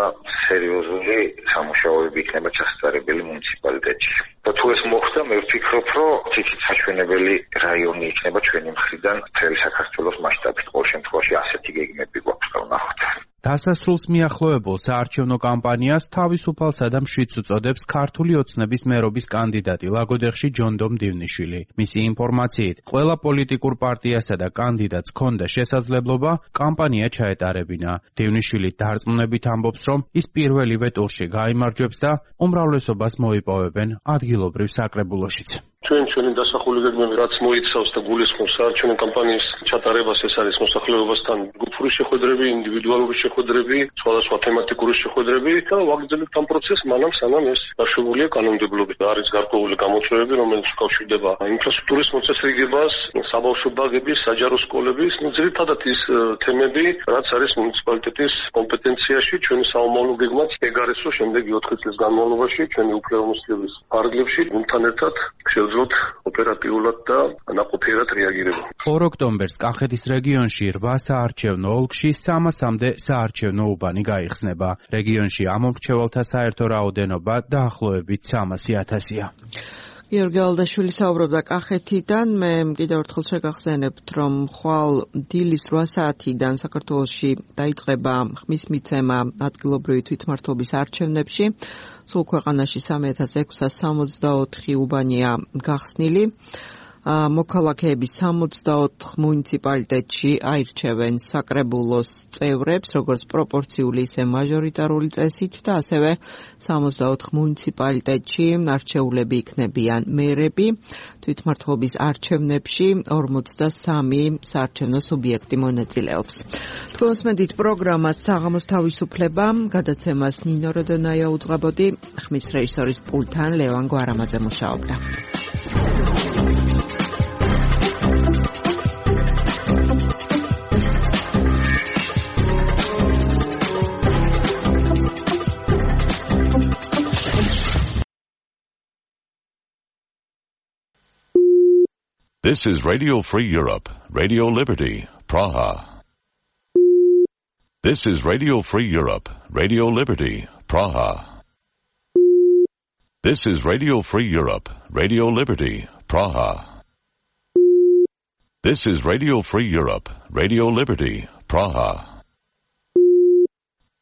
სერიოზული სამუშაოები იქნება ჩასწარებელი მუნიციპალიტეტში. და თუ ეს მოხდა, მე ვფიქრობ, რომ ციცით საჩვენებელი რაიონი იქნება ჩვენი მხრიდან მთელი საქართველოს მასშტაბით. ყოველ შემთხვევაში ასეთი გეგმები გვაქვს და ვნახოთ. დასასრულს მიახლოებულ საარჩევნო კამპანიას თავისუფალსა და მშვიდს უწოდებს ქართული ოცნების მერობის კანდიდატი ლაგოდეხში ჯონდომ დივნიშვილი. მისი ინფორმაციით, ყველა პოლიტიკურ პარტიასა და კანდიდატს ჰქონდა შესაძლებლობა კამპანია ჩაეტარებინა. დივნიშვილი დარწმუნებით ამბობს, რომ ის პირველივე ტურში გაიმარჯვებს და უმრავლესობას მოიპოვებენ ადგილობრივ საკრებულოშიც. ჩვენ ჩვენი დასახული გეგმები რაც მოიცავს და გულისხმობს საარჩევნო კამპანიის ჩატარებას, ეს არის მოსახლეობასთან ჯგუფური შეხვედრები, ინდივიდუალური შეხვედრები, სხვადასხვა თემატიკური შეხვედრები და ვაგრძელებთ ამ პროცესს მანამ სანამ ეს დაშვებულია კანონმდებლობით. არის გარკვეული გამოწვევები, რომელიც უკავშირდება ინფრასტრუქტურის მოწესრიგებას, საბავშვო ბაღების, საჯარო სკოლების, ну ძირითადად ის თემები, რაც არის მუნიციპალიტეტის კომპეტენციაში, ჩვენი საომავლო გეგმაც ეგ არის, რომ შემდეგი ოთხი წლის განმავლობაში ჩვენი უფლებამოსილების ფარგლებში გუნდთან ერთად შევძლოთ ოპერატიულად და ნაყოფიერად რეაგირება. ორ ოქტომბერს კახეთის რეგიონში რვა საარჩევნო ოლქში სამასამდე საარჩევნო უბანი გაიხსნება. რეგიონში ამომრჩეველთა საერთო რაოდენობა დაახლოებით სამასი ათასია. გიორგი ალდაშვილი საუბრობდა კახეთიდან. მე კიდევ ერთხელ შეგახსენებთ, რომ ხვალ დილის რვა საათიდან საქართველოში დაიწყება ხმის მიცემა ადგილობრივი თვითმმართველობის არჩევნებში. სულ ქვეყანაში სამი ათას ექვსსა სამოცდაოთხი უბანია გახსნილი. მოქალაქეების სამოცდაოთხ მუნიციპალიტეტში აირჩევენ საკრებულოს წევრებს, როგორც პროპორციული, ისე მაჟორიტარული წესით და ასევე სამოცდაოთხ მუნიციპალიტეტში არჩეულები იქნებიან მერები. თვითმმართველობის არჩევნებში ორმოცდასამი საარჩევნო სუბიექტი მონაწილეობს. თქვენს მედით პროგრამას საღამოს თავისუფლება, გადაცემას ნინო როდონაია უძღვებოდი, ხმის რეჟისორის პულტთან ლევან გვარამაძე მუშაობდა. This is Radio Free Europe, Radio Liberty, Praha. This is Radio Free Europe, Radio Liberty, Praha. This is Radio Free Europe, Radio Liberty, Praha. This is Radio Free Europe, Radio Liberty, Praha.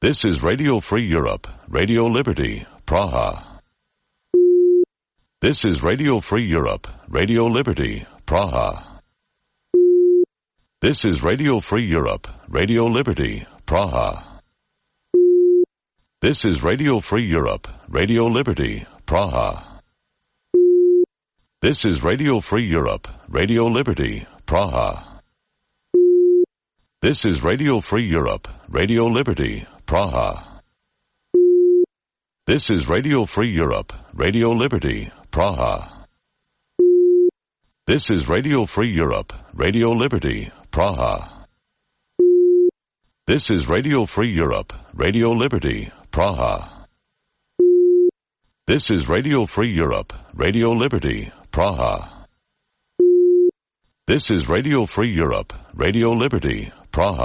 This is Radio Free Europe, Radio Liberty, Praha. This is Radio Free Europe, Radio Liberty, Praha. This is Radio Free Europe, Radio Liberty, Praha. This is Radio Free Europe, Radio Liberty, Praha. This is Radio Free Europe, Radio Liberty, Praha. This is Radio Free Europe, Radio Liberty, Praha. This is Radio Free Europe, Radio Liberty, Praha. This is Radio Free Europe, Radio Liberty, Praha. This is Radio Free Europe, Radio Liberty, Praha. This is Radio Free Europe, Radio Liberty, Praha.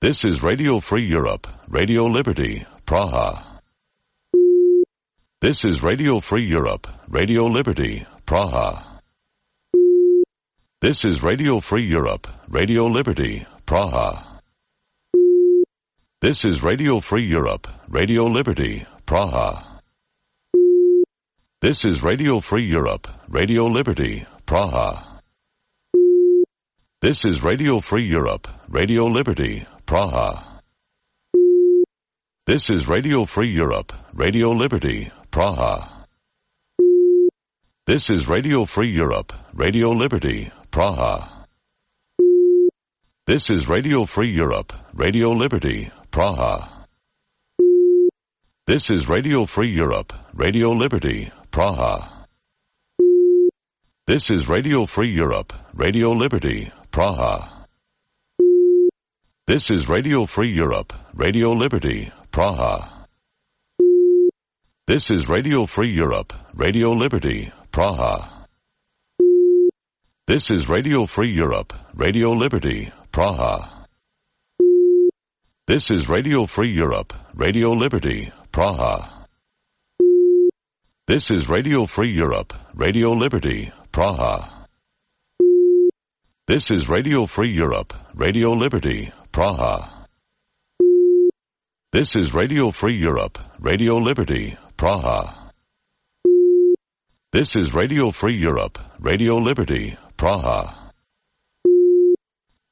This is Radio Free Europe, Radio Liberty, Praha. This is Radio Free Europe, Radio Liberty, Praha. This is Radio Free Europe, Radio Liberty, Praha. This is Radio Free Europe, Radio Liberty, Praha. This is Radio Free Europe, Radio Liberty, Praha. This is Radio Free Europe, Radio Liberty, Praha. This is Radio Free Europe, Radio Liberty, Praha. This is Radio Free Europe, Radio Liberty, Praha. This is Radio Free Europe, Radio Liberty, Praha. This is Radio Free Europe, Radio Liberty, Praha. This is Radio Free Europe, Radio Liberty, Praha. This is Radio Free Europe, Radio Liberty, Praha. This is Radio Free Europe, Radio Liberty, Praha. This is Radio Free Europe, Radio Liberty, Praha. This is Radio Free Europe, Radio Liberty, Praha. This is Radio Free Europe, Radio Liberty, Praha. This is Radio Free Europe, Radio Liberty, Praha. This is Radio Free Europe, Radio Liberty, Praha. This is Radio Free Europe, Radio Liberty, Praha. This is Radio Free Europe, Radio Liberty, Praha.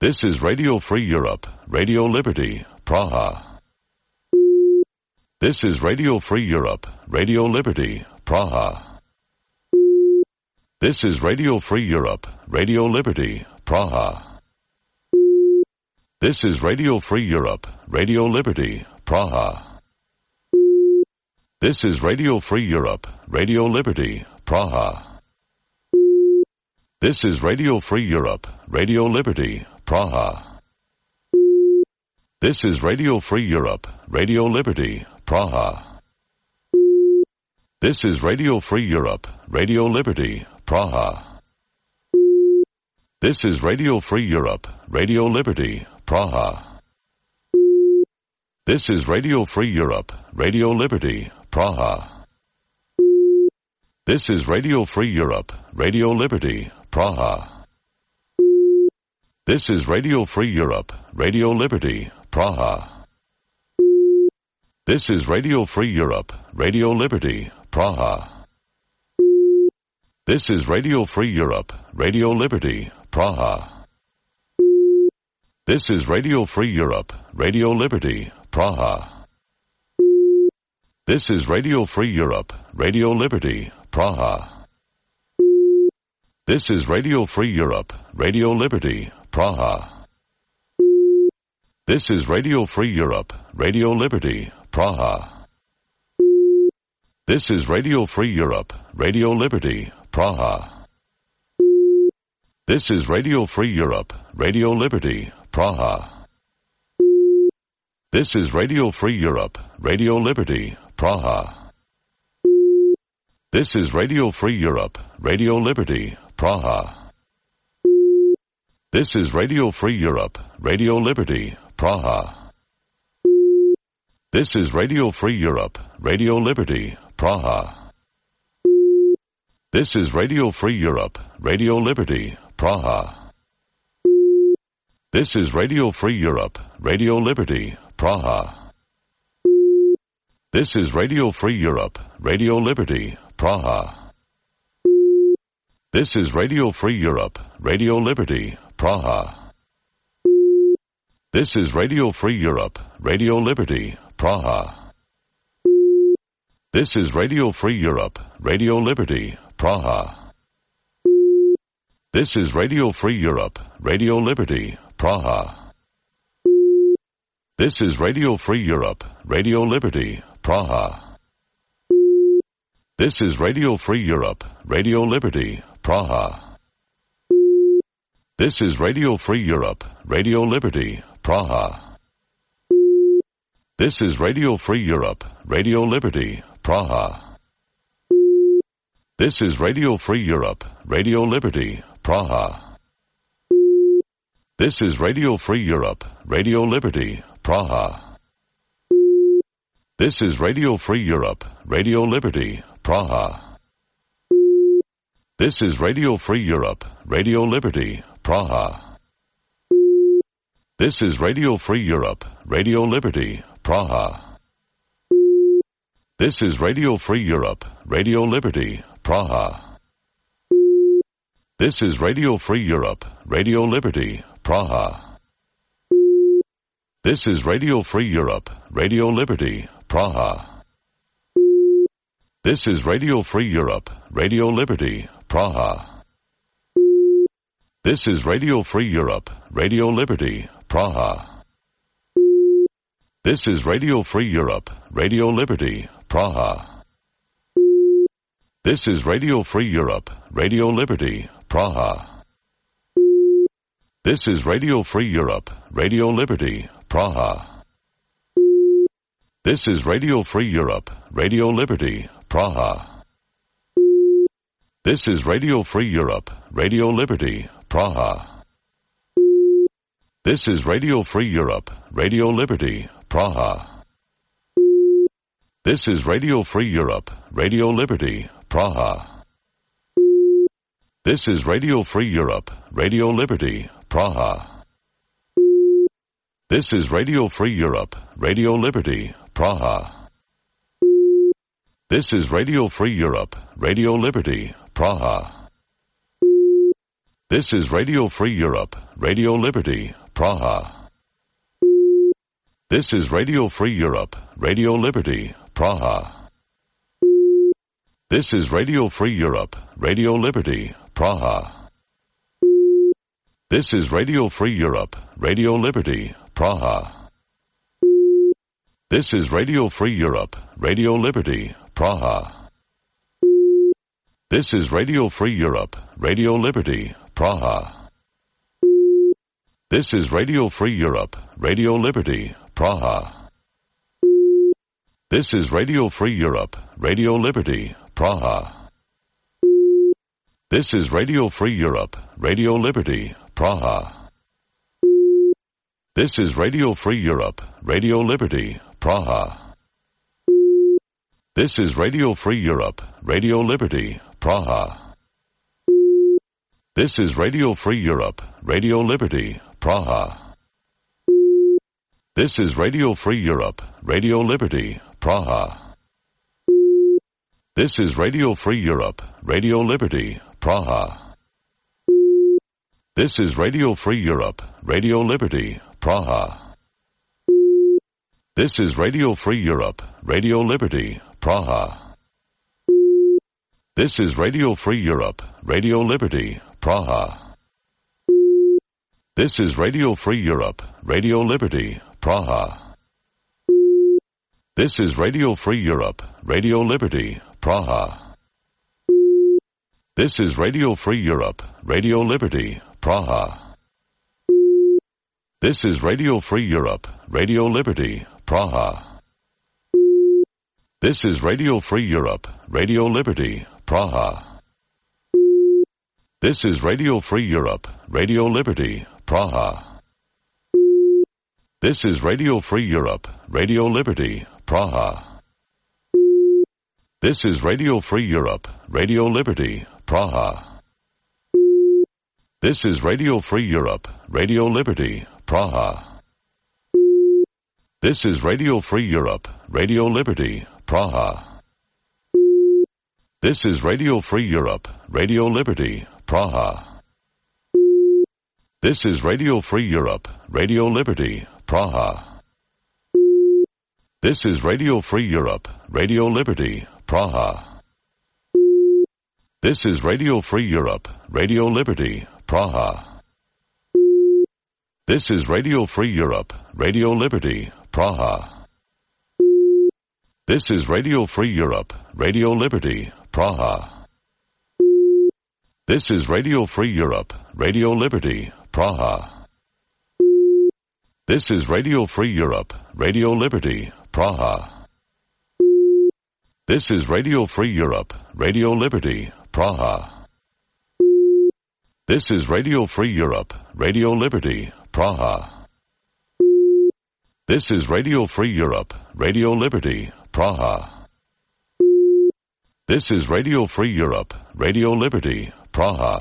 This is Radio Free Europe, Radio Liberty, Praha. This is Radio Free Europe, Radio Liberty, Praha. This is Radio Free Europe, Radio Liberty, Praha. This is Radio Free Europe, Radio Liberty, Praha. This is Radio Free Europe, Radio Liberty, Praha. This is Radio Free Europe, Radio Liberty, Praha. This is Radio Free Europe, Radio Liberty, Praha. This is Radio Free Europe, Radio Liberty, Praha. This is Radio Free Europe, Radio Liberty, Praha. This is Radio Free Europe, Radio Liberty, Praha. This is Radio Free Europe, Radio Liberty, Praha. This is Radio Free Europe, Radio Liberty, Praha. This is Radio Free Europe, Radio Liberty, Praha. This is Radio Free Europe, Radio Liberty, Praha. This is Radio Free Europe, Radio Liberty, Praha. This is Radio Free Europe, Radio Liberty, Praha. This is Radio Free Europe, Radio Liberty, Praha. This is Radio Free Europe, Radio Liberty, Praha. This is Radio Free Europe, Radio Liberty, Praha. This is Radio Free Europe, Radio Liberty, Praha. This is Radio Free Europe, Radio Liberty, Praha. This is Radio Free Europe, Radio Liberty, Praha. This is Radio Free Europe, Radio Liberty, Praha. This is Radio Free Europe, Radio Liberty, Praha. This is Radio Free Europe, Radio Liberty, Praha. This is Radio Free Europe, Radio Liberty, Praha. This is Radio Free Europe, Radio Liberty, Praha. This is Radio Free Europe, Radio Liberty, Praha. This is Radio Free Europe, Radio Liberty, Praha. This is Radio Free Europe, Radio Liberty, Praha. This is Radio Free Europe, Radio Liberty, Praha. This is Radio Free Europe, Radio Liberty, Praha. This is Radio Free Europe, Radio Liberty, Praha. This is Radio Free Europe, Radio Liberty, Praha. This is Radio Free Europe, Radio Liberty, Praha. This is Radio Free Europe, Radio Liberty, Praha. This is Radio Free Europe, Radio Liberty, Praha. This is Radio Free Europe, Radio Liberty, Praha. This is Radio Free Europe, Radio Liberty, Praha. This is Radio Free Europe, Radio Liberty, Praha. This is Radio Free Europe, Radio Liberty, Praha. This is Radio Free Europe, Radio Liberty, Praha. This is Radio Free Europe, Radio Liberty, Praha. This is Radio Free Europe, Radio Liberty, Praha. This is Radio Free Europe, Radio Liberty, Praha. This is Radio Free Europe, Radio Liberty, Praha. This is Radio Free Europe, Radio Liberty, Praha. This is Radio Free Europe, Radio Liberty, Praha. This is Radio Free Europe, Radio Liberty, Praha. This is Radio Free Europe, Radio Liberty, Praha. This is Radio Free Europe, Radio Liberty, Praha. This is Radio Free Europe, Radio Liberty, Praha. This is Radio Free Europe, Radio Liberty, Praha. This is Radio Free Europe, Radio Liberty, Praha. This is Radio Free Europe, Radio Liberty, Praha. This is Radio Free Europe, Radio Liberty, Praha. This is Radio Free Europe, Radio Liberty, Praha. This is Radio Free Europe, Radio Liberty, Praha. This is Radio Free Europe, Radio Liberty, Praha. This is Radio Free Europe, Radio Liberty, Praha. This is Radio Free Europe, Radio Liberty, Praha. This is Radio Free Europe, Radio Liberty, Praha. This is Radio Free Europe, Radio Liberty, Praha. This is Radio Free Europe, Radio Liberty, Praha. This is Radio Free Europe, Radio Liberty, Praha. This is Radio Free Europe, Radio Liberty, Praha. This is Radio Free Europe, Radio Liberty, Praha. This is Radio Free Europe, Radio Liberty, Praha. This is Radio Free Europe, Radio Liberty, Praha. This is Radio Free Europe, Radio Liberty, Praha. This is Radio Free Europe, Radio Liberty, Praha. This is Radio Free Europe, Radio Liberty, Praha. This is Radio Free Europe, Radio Liberty, Praha. This is Radio Free Europe, Radio Liberty, Praha. This is Radio Free Europe, Radio Liberty, Praha. This is Radio Free Europe, Radio Liberty, Praha. This is Radio Free Europe, Radio Liberty, Praha. This is Radio Free Europe, Radio Liberty, Praha. This is Radio Free Europe, Radio Liberty, Praha. This is Radio Free Europe, Radio Liberty, Praha. This is Radio Free Europe, Radio Liberty, Praha. This is Radio Free Europe, Radio Liberty, Praha. This is Radio Free Europe, Radio Liberty, Praha. This is Radio Free Europe, Radio Liberty, Praha. This is Radio Free Europe, Radio Liberty, Praha. This is Radio Free Europe, Radio Liberty, Praha. This is Radio Free Europe, Radio Liberty, Praha. This is Radio Free Europe, Radio Liberty, Praha. This is Radio Free Europe, Radio Liberty, Praha. This is Radio Free Europe, Radio Liberty, Praha. This is Radio Free Europe, Radio Liberty, Praha. This is Radio Free Europe, Radio Liberty, Praha. This is Radio Free Europe, Radio Liberty, Praha. This is Radio Free Europe, Radio Liberty, Praha.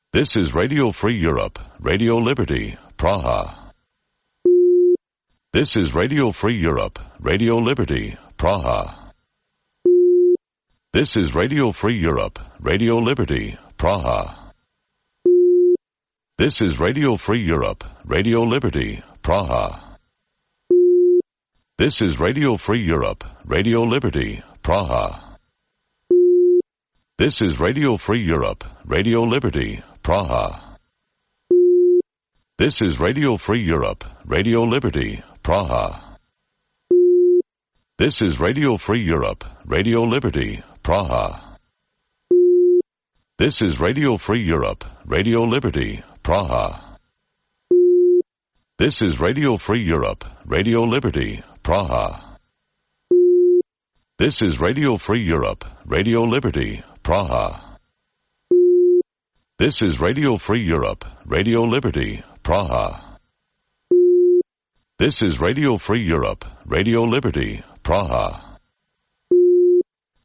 This is Radio Free Europe, Radio Liberty, Praha. This is Radio Free Europe, Radio Liberty, Praha. This is Radio Free Europe, Radio Liberty, Praha. This is Radio Free Europe, Radio Liberty, Praha. This is Radio Free Europe, Radio Liberty, Praha. This is Radio Free Europe, Radio Liberty, Praha. This is Radio Free Europe, Radio Liberty, Praha. This is Radio Free Europe, Radio Liberty, Praha. This is Radio Free Europe, Radio Liberty, Praha. This is Radio Free Europe, Radio Liberty, Praha. This is Radio Free Europe, Radio Liberty, Praha. This is Radio Free Europe, Radio Liberty, Praha. This is Radio Free Europe, Radio Liberty, Praha.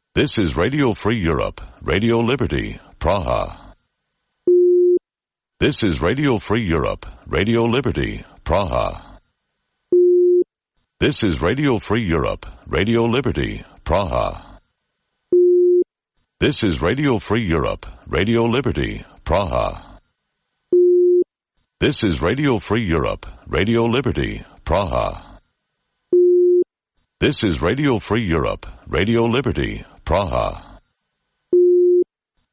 This is Radio Free Europe, Radio Liberty, Praha. This is Radio Free Europe, Radio Liberty, Praha. This is Radio Free Europe, Radio Liberty, Praha. This is Radio Free Europe, Radio Liberty, Praha. This is Radio Free Europe, Radio Liberty, Praha. This is Radio Free Europe, Radio Liberty, Praha.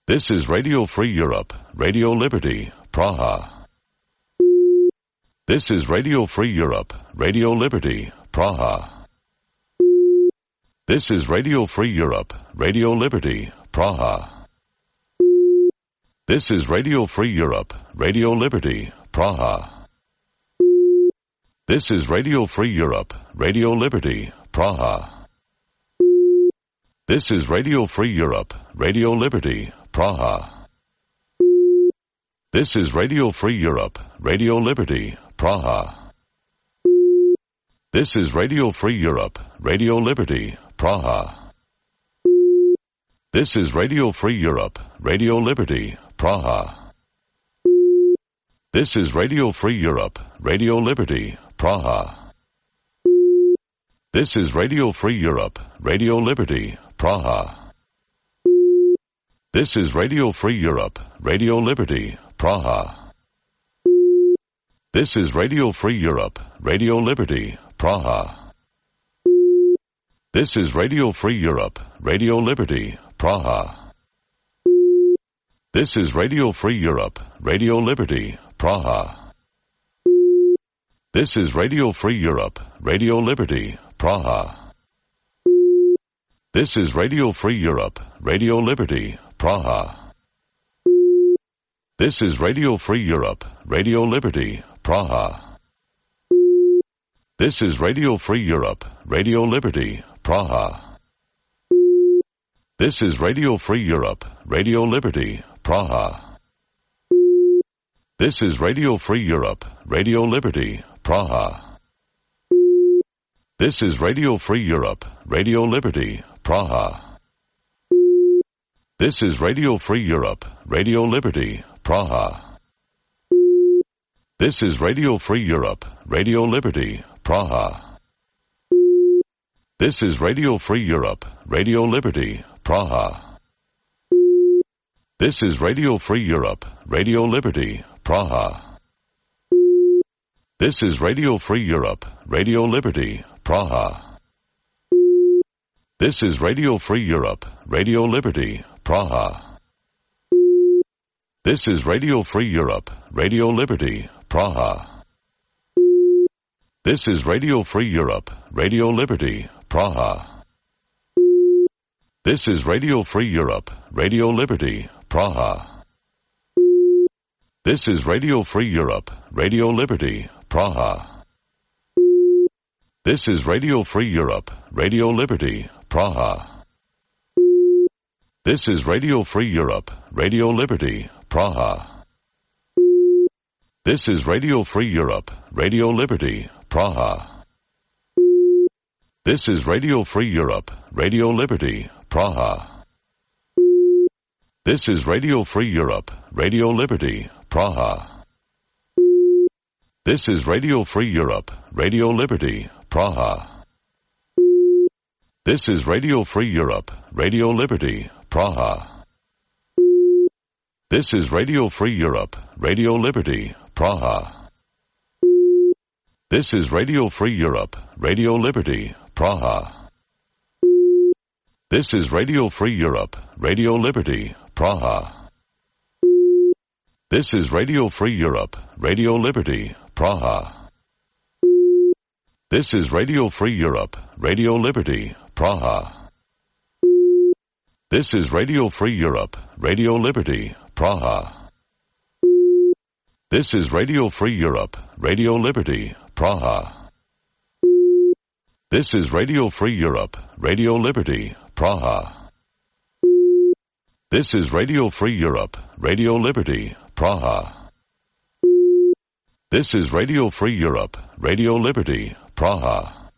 This is Radio Free Europe, Radio Liberty, Praha. This is Radio Free Europe, Radio Liberty, Praha. This is Radio Free Europe, Radio Liberty, Praha. This is Radio Free Europe, Radio Liberty, Praha. This is Radio Free Europe, Radio Liberty, Praha. This is Radio Free Europe, Radio Liberty, Praha. This is Radio Free Europe, Radio Liberty, Praha. This is Radio Free Europe, Radio Liberty, Praha. This is Radio Free Europe, Radio Liberty, Praha. This is Radio Free Europe, Radio Liberty, Praha. This is Radio Free Europe, Radio Liberty, Praha. This is Radio Free Europe, Radio Liberty, Praha. This is Radio Free Europe, Radio Liberty, Praha. This is Radio Free Europe, Radio Liberty, Praha. This is Radio Free Europe, Radio Liberty, Praha. This is Radio Free Europe, Radio Liberty, Praha. This is Radio Free Europe, Radio Liberty, Praha. This is Radio Free Europe, Radio Liberty, Praha. This is Radio Free Europe, Radio Liberty, Praha. This is Radio Free Europe, Radio Liberty, Praha. This is Radio Free Europe, Radio Liberty, Praha. This is Radio Free Europe, Radio Liberty, Praha. This is Radio Free Europe, Radio Liberty, Praha. This is Radio Free Europe, Radio Liberty, Praha. This is Radio Free Europe, Radio Liberty, Praha. This is Radio Free Europe, Radio Liberty, Praha. This is Radio Free Europe, Radio Liberty, Praha. This is Radio Free Europe, Radio Liberty, Praha. This is Radio Free Europe, Radio Liberty, Praha. This is Radio Free Europe, Radio Liberty, Praha. This is Radio Free Europe, Radio Liberty, Praha. This is Radio Free Europe, Radio Liberty, Praha. This is Radio Free Europe, Radio Liberty, Praha. This is Radio Free Europe, Radio Liberty, Praha. This is Radio Free Europe, Radio Liberty, Praha. This is Radio Free Europe, Radio Liberty, Praha. This is Radio Free Europe, Radio Liberty, Praha. This is Radio Free Europe, Radio Liberty, Praha. This is Radio Free Europe, Radio Liberty, Praha. This is Radio Free Europe, Radio Liberty, Praha. This is Radio Free Europe, Radio Liberty, Praha. This is Radio Free Europe, Radio Liberty, Praha. This is Radio Free Europe, Radio Liberty, Praha. This is Radio Free Europe, Radio Liberty, Praha. This is Radio Free Europe, Radio Liberty, Praha. This is Radio Free Europe, Radio Liberty, Praha. This is Radio Free Europe, Radio Liberty, Praha. This is Radio Free Europe, Radio Liberty, Praha. This is Radio Free Europe, Radio Liberty, Praha.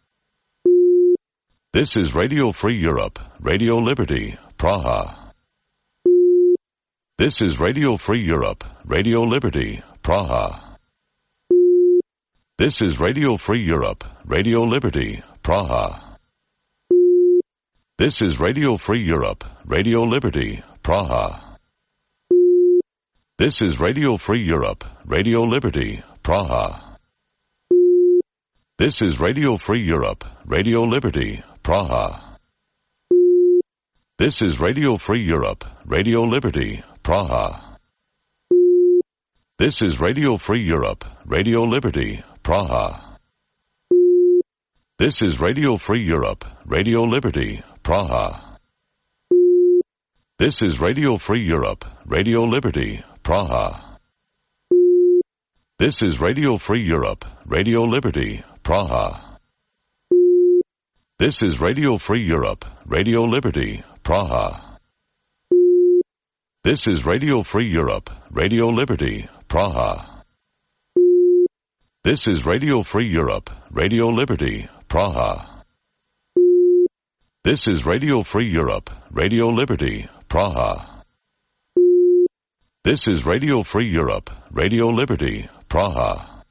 This is Radio Free Europe, Radio Liberty, Praha. This is Radio Free Europe, Radio Liberty, Praha. This is Radio Free Europe, Radio Liberty, Praha. This is Radio Free Europe, Radio Liberty, Praha. This is Radio Free Europe, Radio Liberty, Praha. This is Radio Free Europe, Radio Liberty, Praha. This is Radio Free Europe, Radio Liberty, Praha. This is Radio Free Europe, Radio Liberty, Praha. This is Radio Free Europe, Radio Liberty, Praha. This is Radio Free Europe, Radio Liberty, Praha. This is Radio Free Europe, Radio Liberty, Praha. This is Radio Free Europe, Radio Liberty, Praha. This is Radio Free Europe, Radio Liberty, Praha. This is Radio Free Europe, Radio Liberty, Praha. This is Radio Free Europe, Radio Liberty, Praha. This is Radio Free Europe, Radio Liberty, Praha.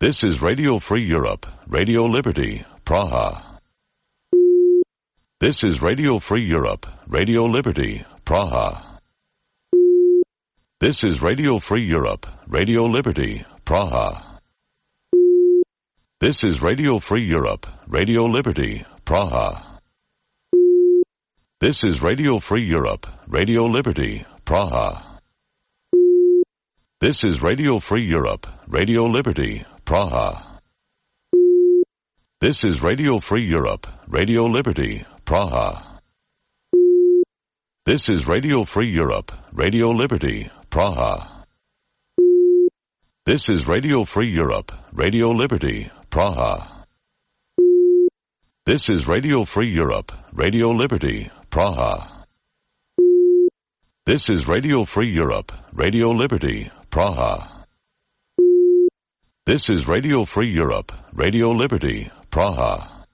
This is Radio Free Europe, Radio Liberty, Praha. This is Radio Free Europe, Radio Liberty, Praha. This is Radio Free Europe, Radio Liberty, Praha. This is Radio Free Europe, Radio Liberty, Praha. This is Radio Free Europe, Radio Liberty, Praha. This is Radio Free Europe, Radio Liberty, Praha. This is Radio Free Europe, Radio Liberty, Praha. This is Radio Free Europe, Radio Liberty, Praha. This is Radio Free Europe, Radio Liberty, Praha. This is Radio Free Europe, Radio Liberty, Praha. This is Radio Free Europe, Radio Liberty, Praha. This is Radio Free Europe, Radio Liberty, Praha.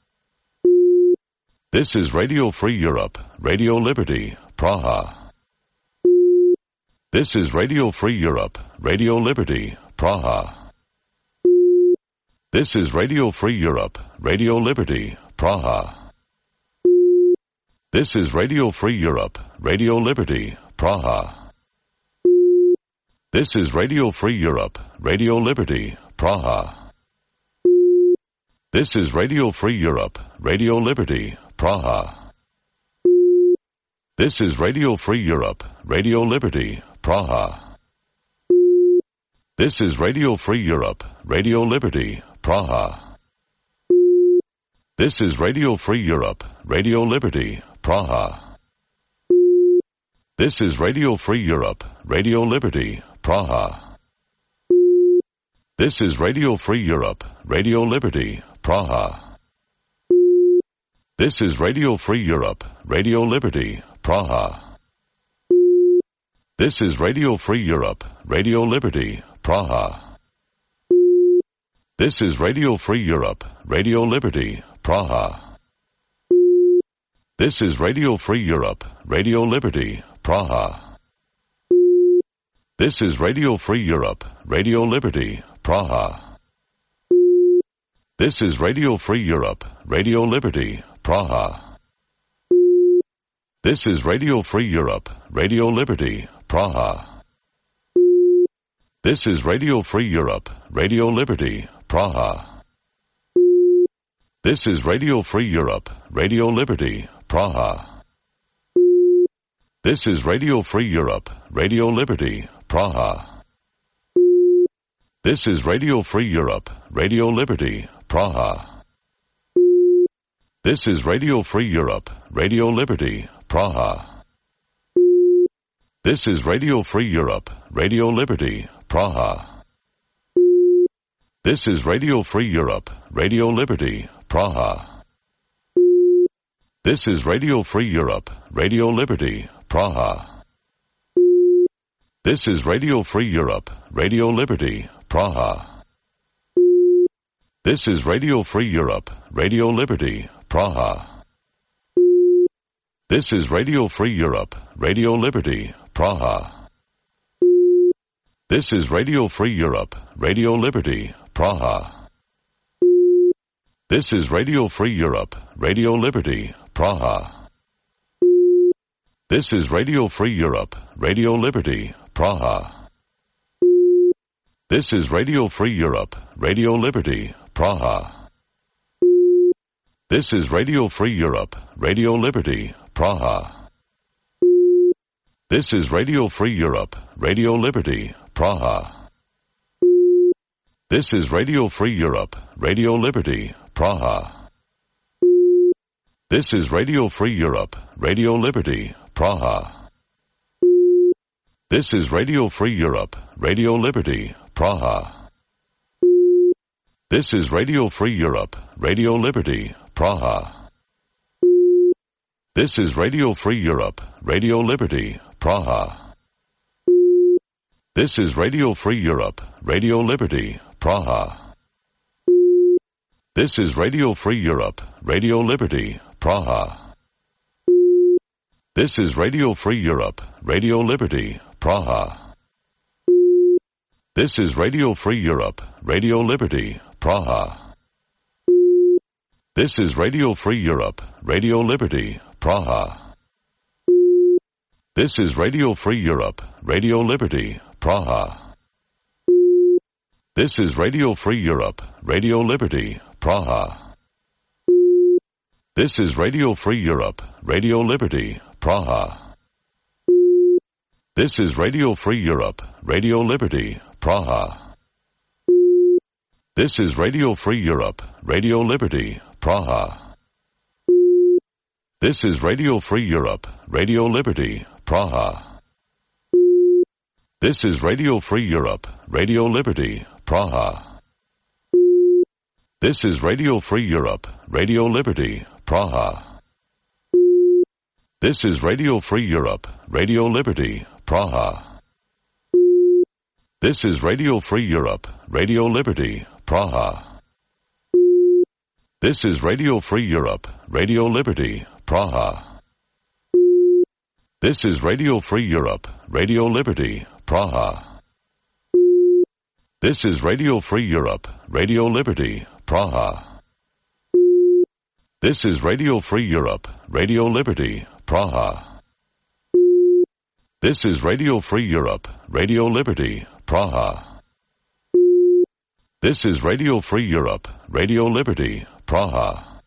This is Radio Free Europe, Radio Liberty, Praha. This is Radio Free Europe, Radio Liberty, Praha. This is Radio Free Europe, Radio Liberty, Praha. This is Radio Free Europe, Radio Liberty, Praha. This is Radio Free Europe, Radio Liberty, Praha. This is Radio Free Europe, Radio Liberty, Praha. This is Radio Free Europe, Radio Liberty, Praha. This is Radio Free Europe, Radio Liberty, Praha. This is Radio Free Europe, Radio Liberty, Praha. This is Radio Free Europe, Radio Liberty, Praha. This is Radio Free Europe, Radio Liberty, Praha. This is Radio Free Europe, Radio Liberty, Praha. This is Radio Free Europe, Radio Liberty, Praha. This is Radio Free Europe, Radio Liberty, Praha. This is Radio Free Europe, Radio Liberty, Praha. This is Radio Free Europe, Radio Liberty, Praha. This is Radio Free Europe, Radio Liberty, Praha. This is Radio Free Europe, Radio Liberty, Praha. This is Radio Free Europe, Radio Liberty, Praha. This is Radio Free Europe, Radio Liberty, Praha. This is Radio Free Europe, Radio Liberty, Praha. This is Radio Free Europe, Radio Liberty, Praha. This is Radio Free Europe, Radio Liberty, Praha. This is Radio Free Europe, Radio Liberty, Praha. This is Radio Free Europe, Radio Liberty, Praha. This is Radio Free Europe, Radio Liberty, Praha. This is Radio Free Europe, Radio Liberty, Praha. This is Radio Free Europe, Radio Liberty, Praha. This is Radio Free Europe, Radio Liberty, Praha. This is Radio Free Europe, Radio Liberty, Praha. This is Radio Free Europe, Radio Liberty, Praha. This is Radio Free Europe, Radio Liberty, Praha. This is Radio Free Europe, Radio Liberty, Praha. This is Radio Free Europe, Radio Liberty, Praha. This is Radio Free Europe, Radio Liberty, Praha. This is Radio Free Europe, Radio Liberty, Praha. This is Radio Free Europe, Radio Liberty, Praha. This is Radio Free Europe, Radio Liberty, Praha. This is Radio Free Europe, Radio Liberty, Praha. This is Radio Free Europe, Radio Liberty, Praha. This is Radio Free Europe, Radio Liberty, Praha. This is Radio Free Europe, Radio Liberty, Praha. This is Radio Free Europe, Radio Liberty, Praha. This is Radio Free Europe, Radio Liberty, Praha. This is Radio Free Europe, Radio Liberty, Praha. This is Radio Free Europe, Radio Liberty, Praha. This is Radio Free Europe, Radio Liberty, Praha. This is Radio Free Europe, Radio Liberty, Praha. This is Radio Free Europe, Radio Liberty, Praha. This is Radio Free Europe, Radio Liberty, Praha. This is Radio Free Europe, Radio Liberty, Praha. This is Radio Free Europe, Radio Liberty, Praha. This is Radio Free Europe, Radio Liberty, Praha. This is Radio Free Europe, Radio Liberty, Praha. This is Radio Free Europe, Radio Liberty, Praha. This is Radio Free Europe, Radio Liberty, Praha. This is Radio Free Europe, Radio Liberty, Praha. This is Radio Free Europe, Radio Liberty, Praha. This is Radio Free Europe, Radio Liberty, Praha. This is Radio Free Europe, Radio Liberty, Praha. This is Radio Free Europe, Radio Liberty, Praha.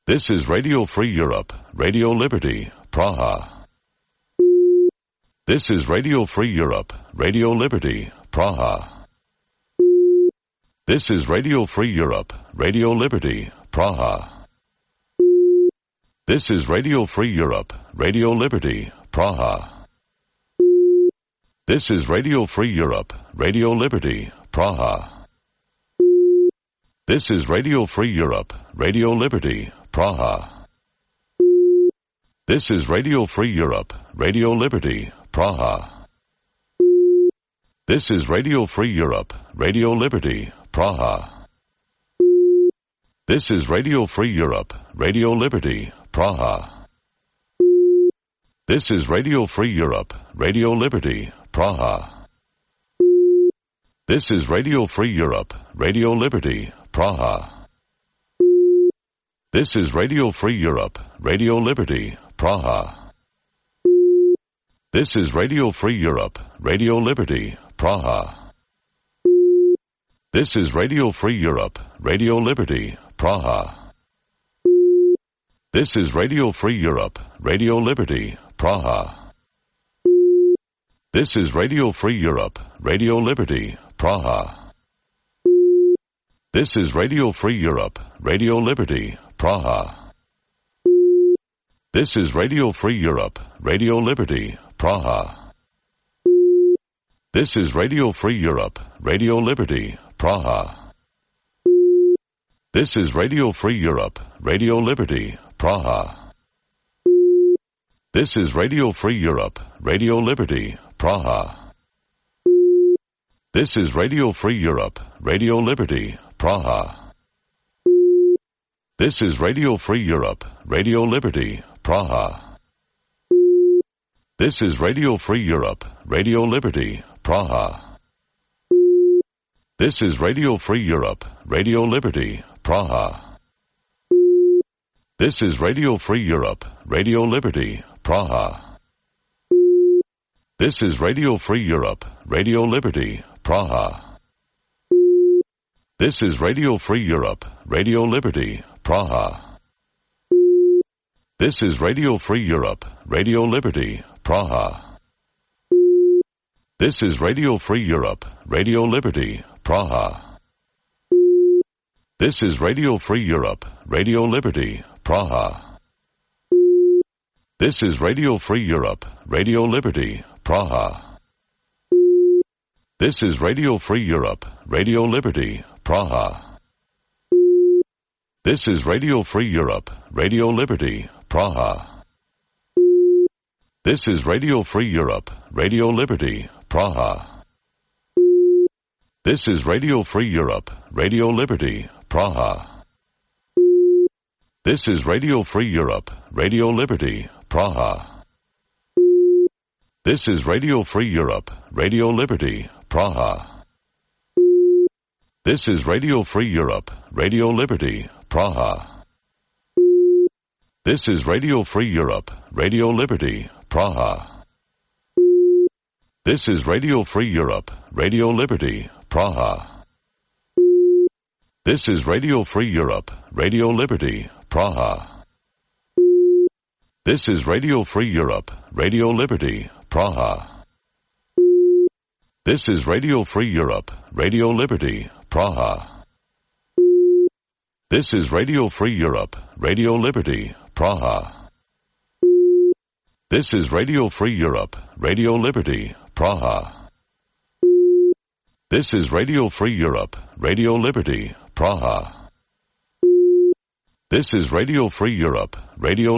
This is Radio Free Europe, Radio Liberty, Praha. This is Radio Free Europe, Radio Liberty, Praha. This is Radio Free Europe, Radio Liberty, Praha. This is Radio Free Europe, Radio Liberty, Praha. This is Radio Free Europe, Radio Liberty, Praha. This is Radio Free Europe, Radio Liberty, Praha. This is Radio Free Europe, Radio Liberty, Praha. This is Radio Free Europe, Radio Liberty, Praha. This is Radio Free Europe, Radio Liberty, Praha. This is Radio Free Europe, Radio Liberty, Praha. This is Radio Free Europe, Radio Liberty, Praha. This is Radio Free Europe, Radio Liberty, Praha. This is Radio Free Europe, Radio Liberty, Praha. This is Radio Free Europe, Radio Liberty, Praha. This is Radio Free Europe, Radio Liberty, Praha. This is Radio Free Europe, Radio Liberty, Praha. This is Radio Free Europe, Radio Liberty, Praha. This is Radio Free Europe, Radio Liberty, Praha. This is Radio Free Europe, Radio Liberty, Praha. This is Radio Free Europe, Radio Liberty, Praha. This is Radio Free Europe, Radio Liberty, Praha. This is Radio Free Europe, Radio Liberty, Praha. This is Radio Free Europe, Radio Liberty, Praha. This is Radio Free Europe, Radio Liberty, Praha. This is Radio Free Europe, Radio Liberty, Praha. This is Radio Free Europe, Radio Liberty, Praha. This is Radio Free Europe, Radio Liberty, Praha. This is Radio Free Europe, Radio Liberty, Praha. This is Radio Free Europe, Radio Liberty, Praha. This is Radio Free Europe, Radio Liberty, Praha. This is Radio Free Europe, Radio Liberty, Praha. This is Radio Free Europe, Radio Liberty, Praha. This is Radio Free Europe, Radio Liberty, Praha. This is Radio Free Europe, Radio Liberty, Praha. This is Radio Free Europe, Radio Liberty, Praha. This is Radio Free Europe, Radio Liberty, Praha. This is Radio Free Europe, Radio Liberty, Praha. This is Radio Free Europe, Radio Liberty, Praha. This is Radio Free Europe, Radio Liberty, Praha. This is Radio Free Europe, Radio Liberty, Praha. This is Radio Free Europe, Radio Liberty, Praha. This is Radio Free Europe, Radio Liberty, Praha. This is Radio Free Europe, Radio Liberty, Praha. This is Radio Free Europe, Radio Liberty, Praha. This is Radio Free Europe, Radio Liberty, Praha. This is Radio Free Europe, Radio Liberty, Praha. This is Radio Free Europe, Radio Liberty, Praha. This is Radio Free Europe, Radio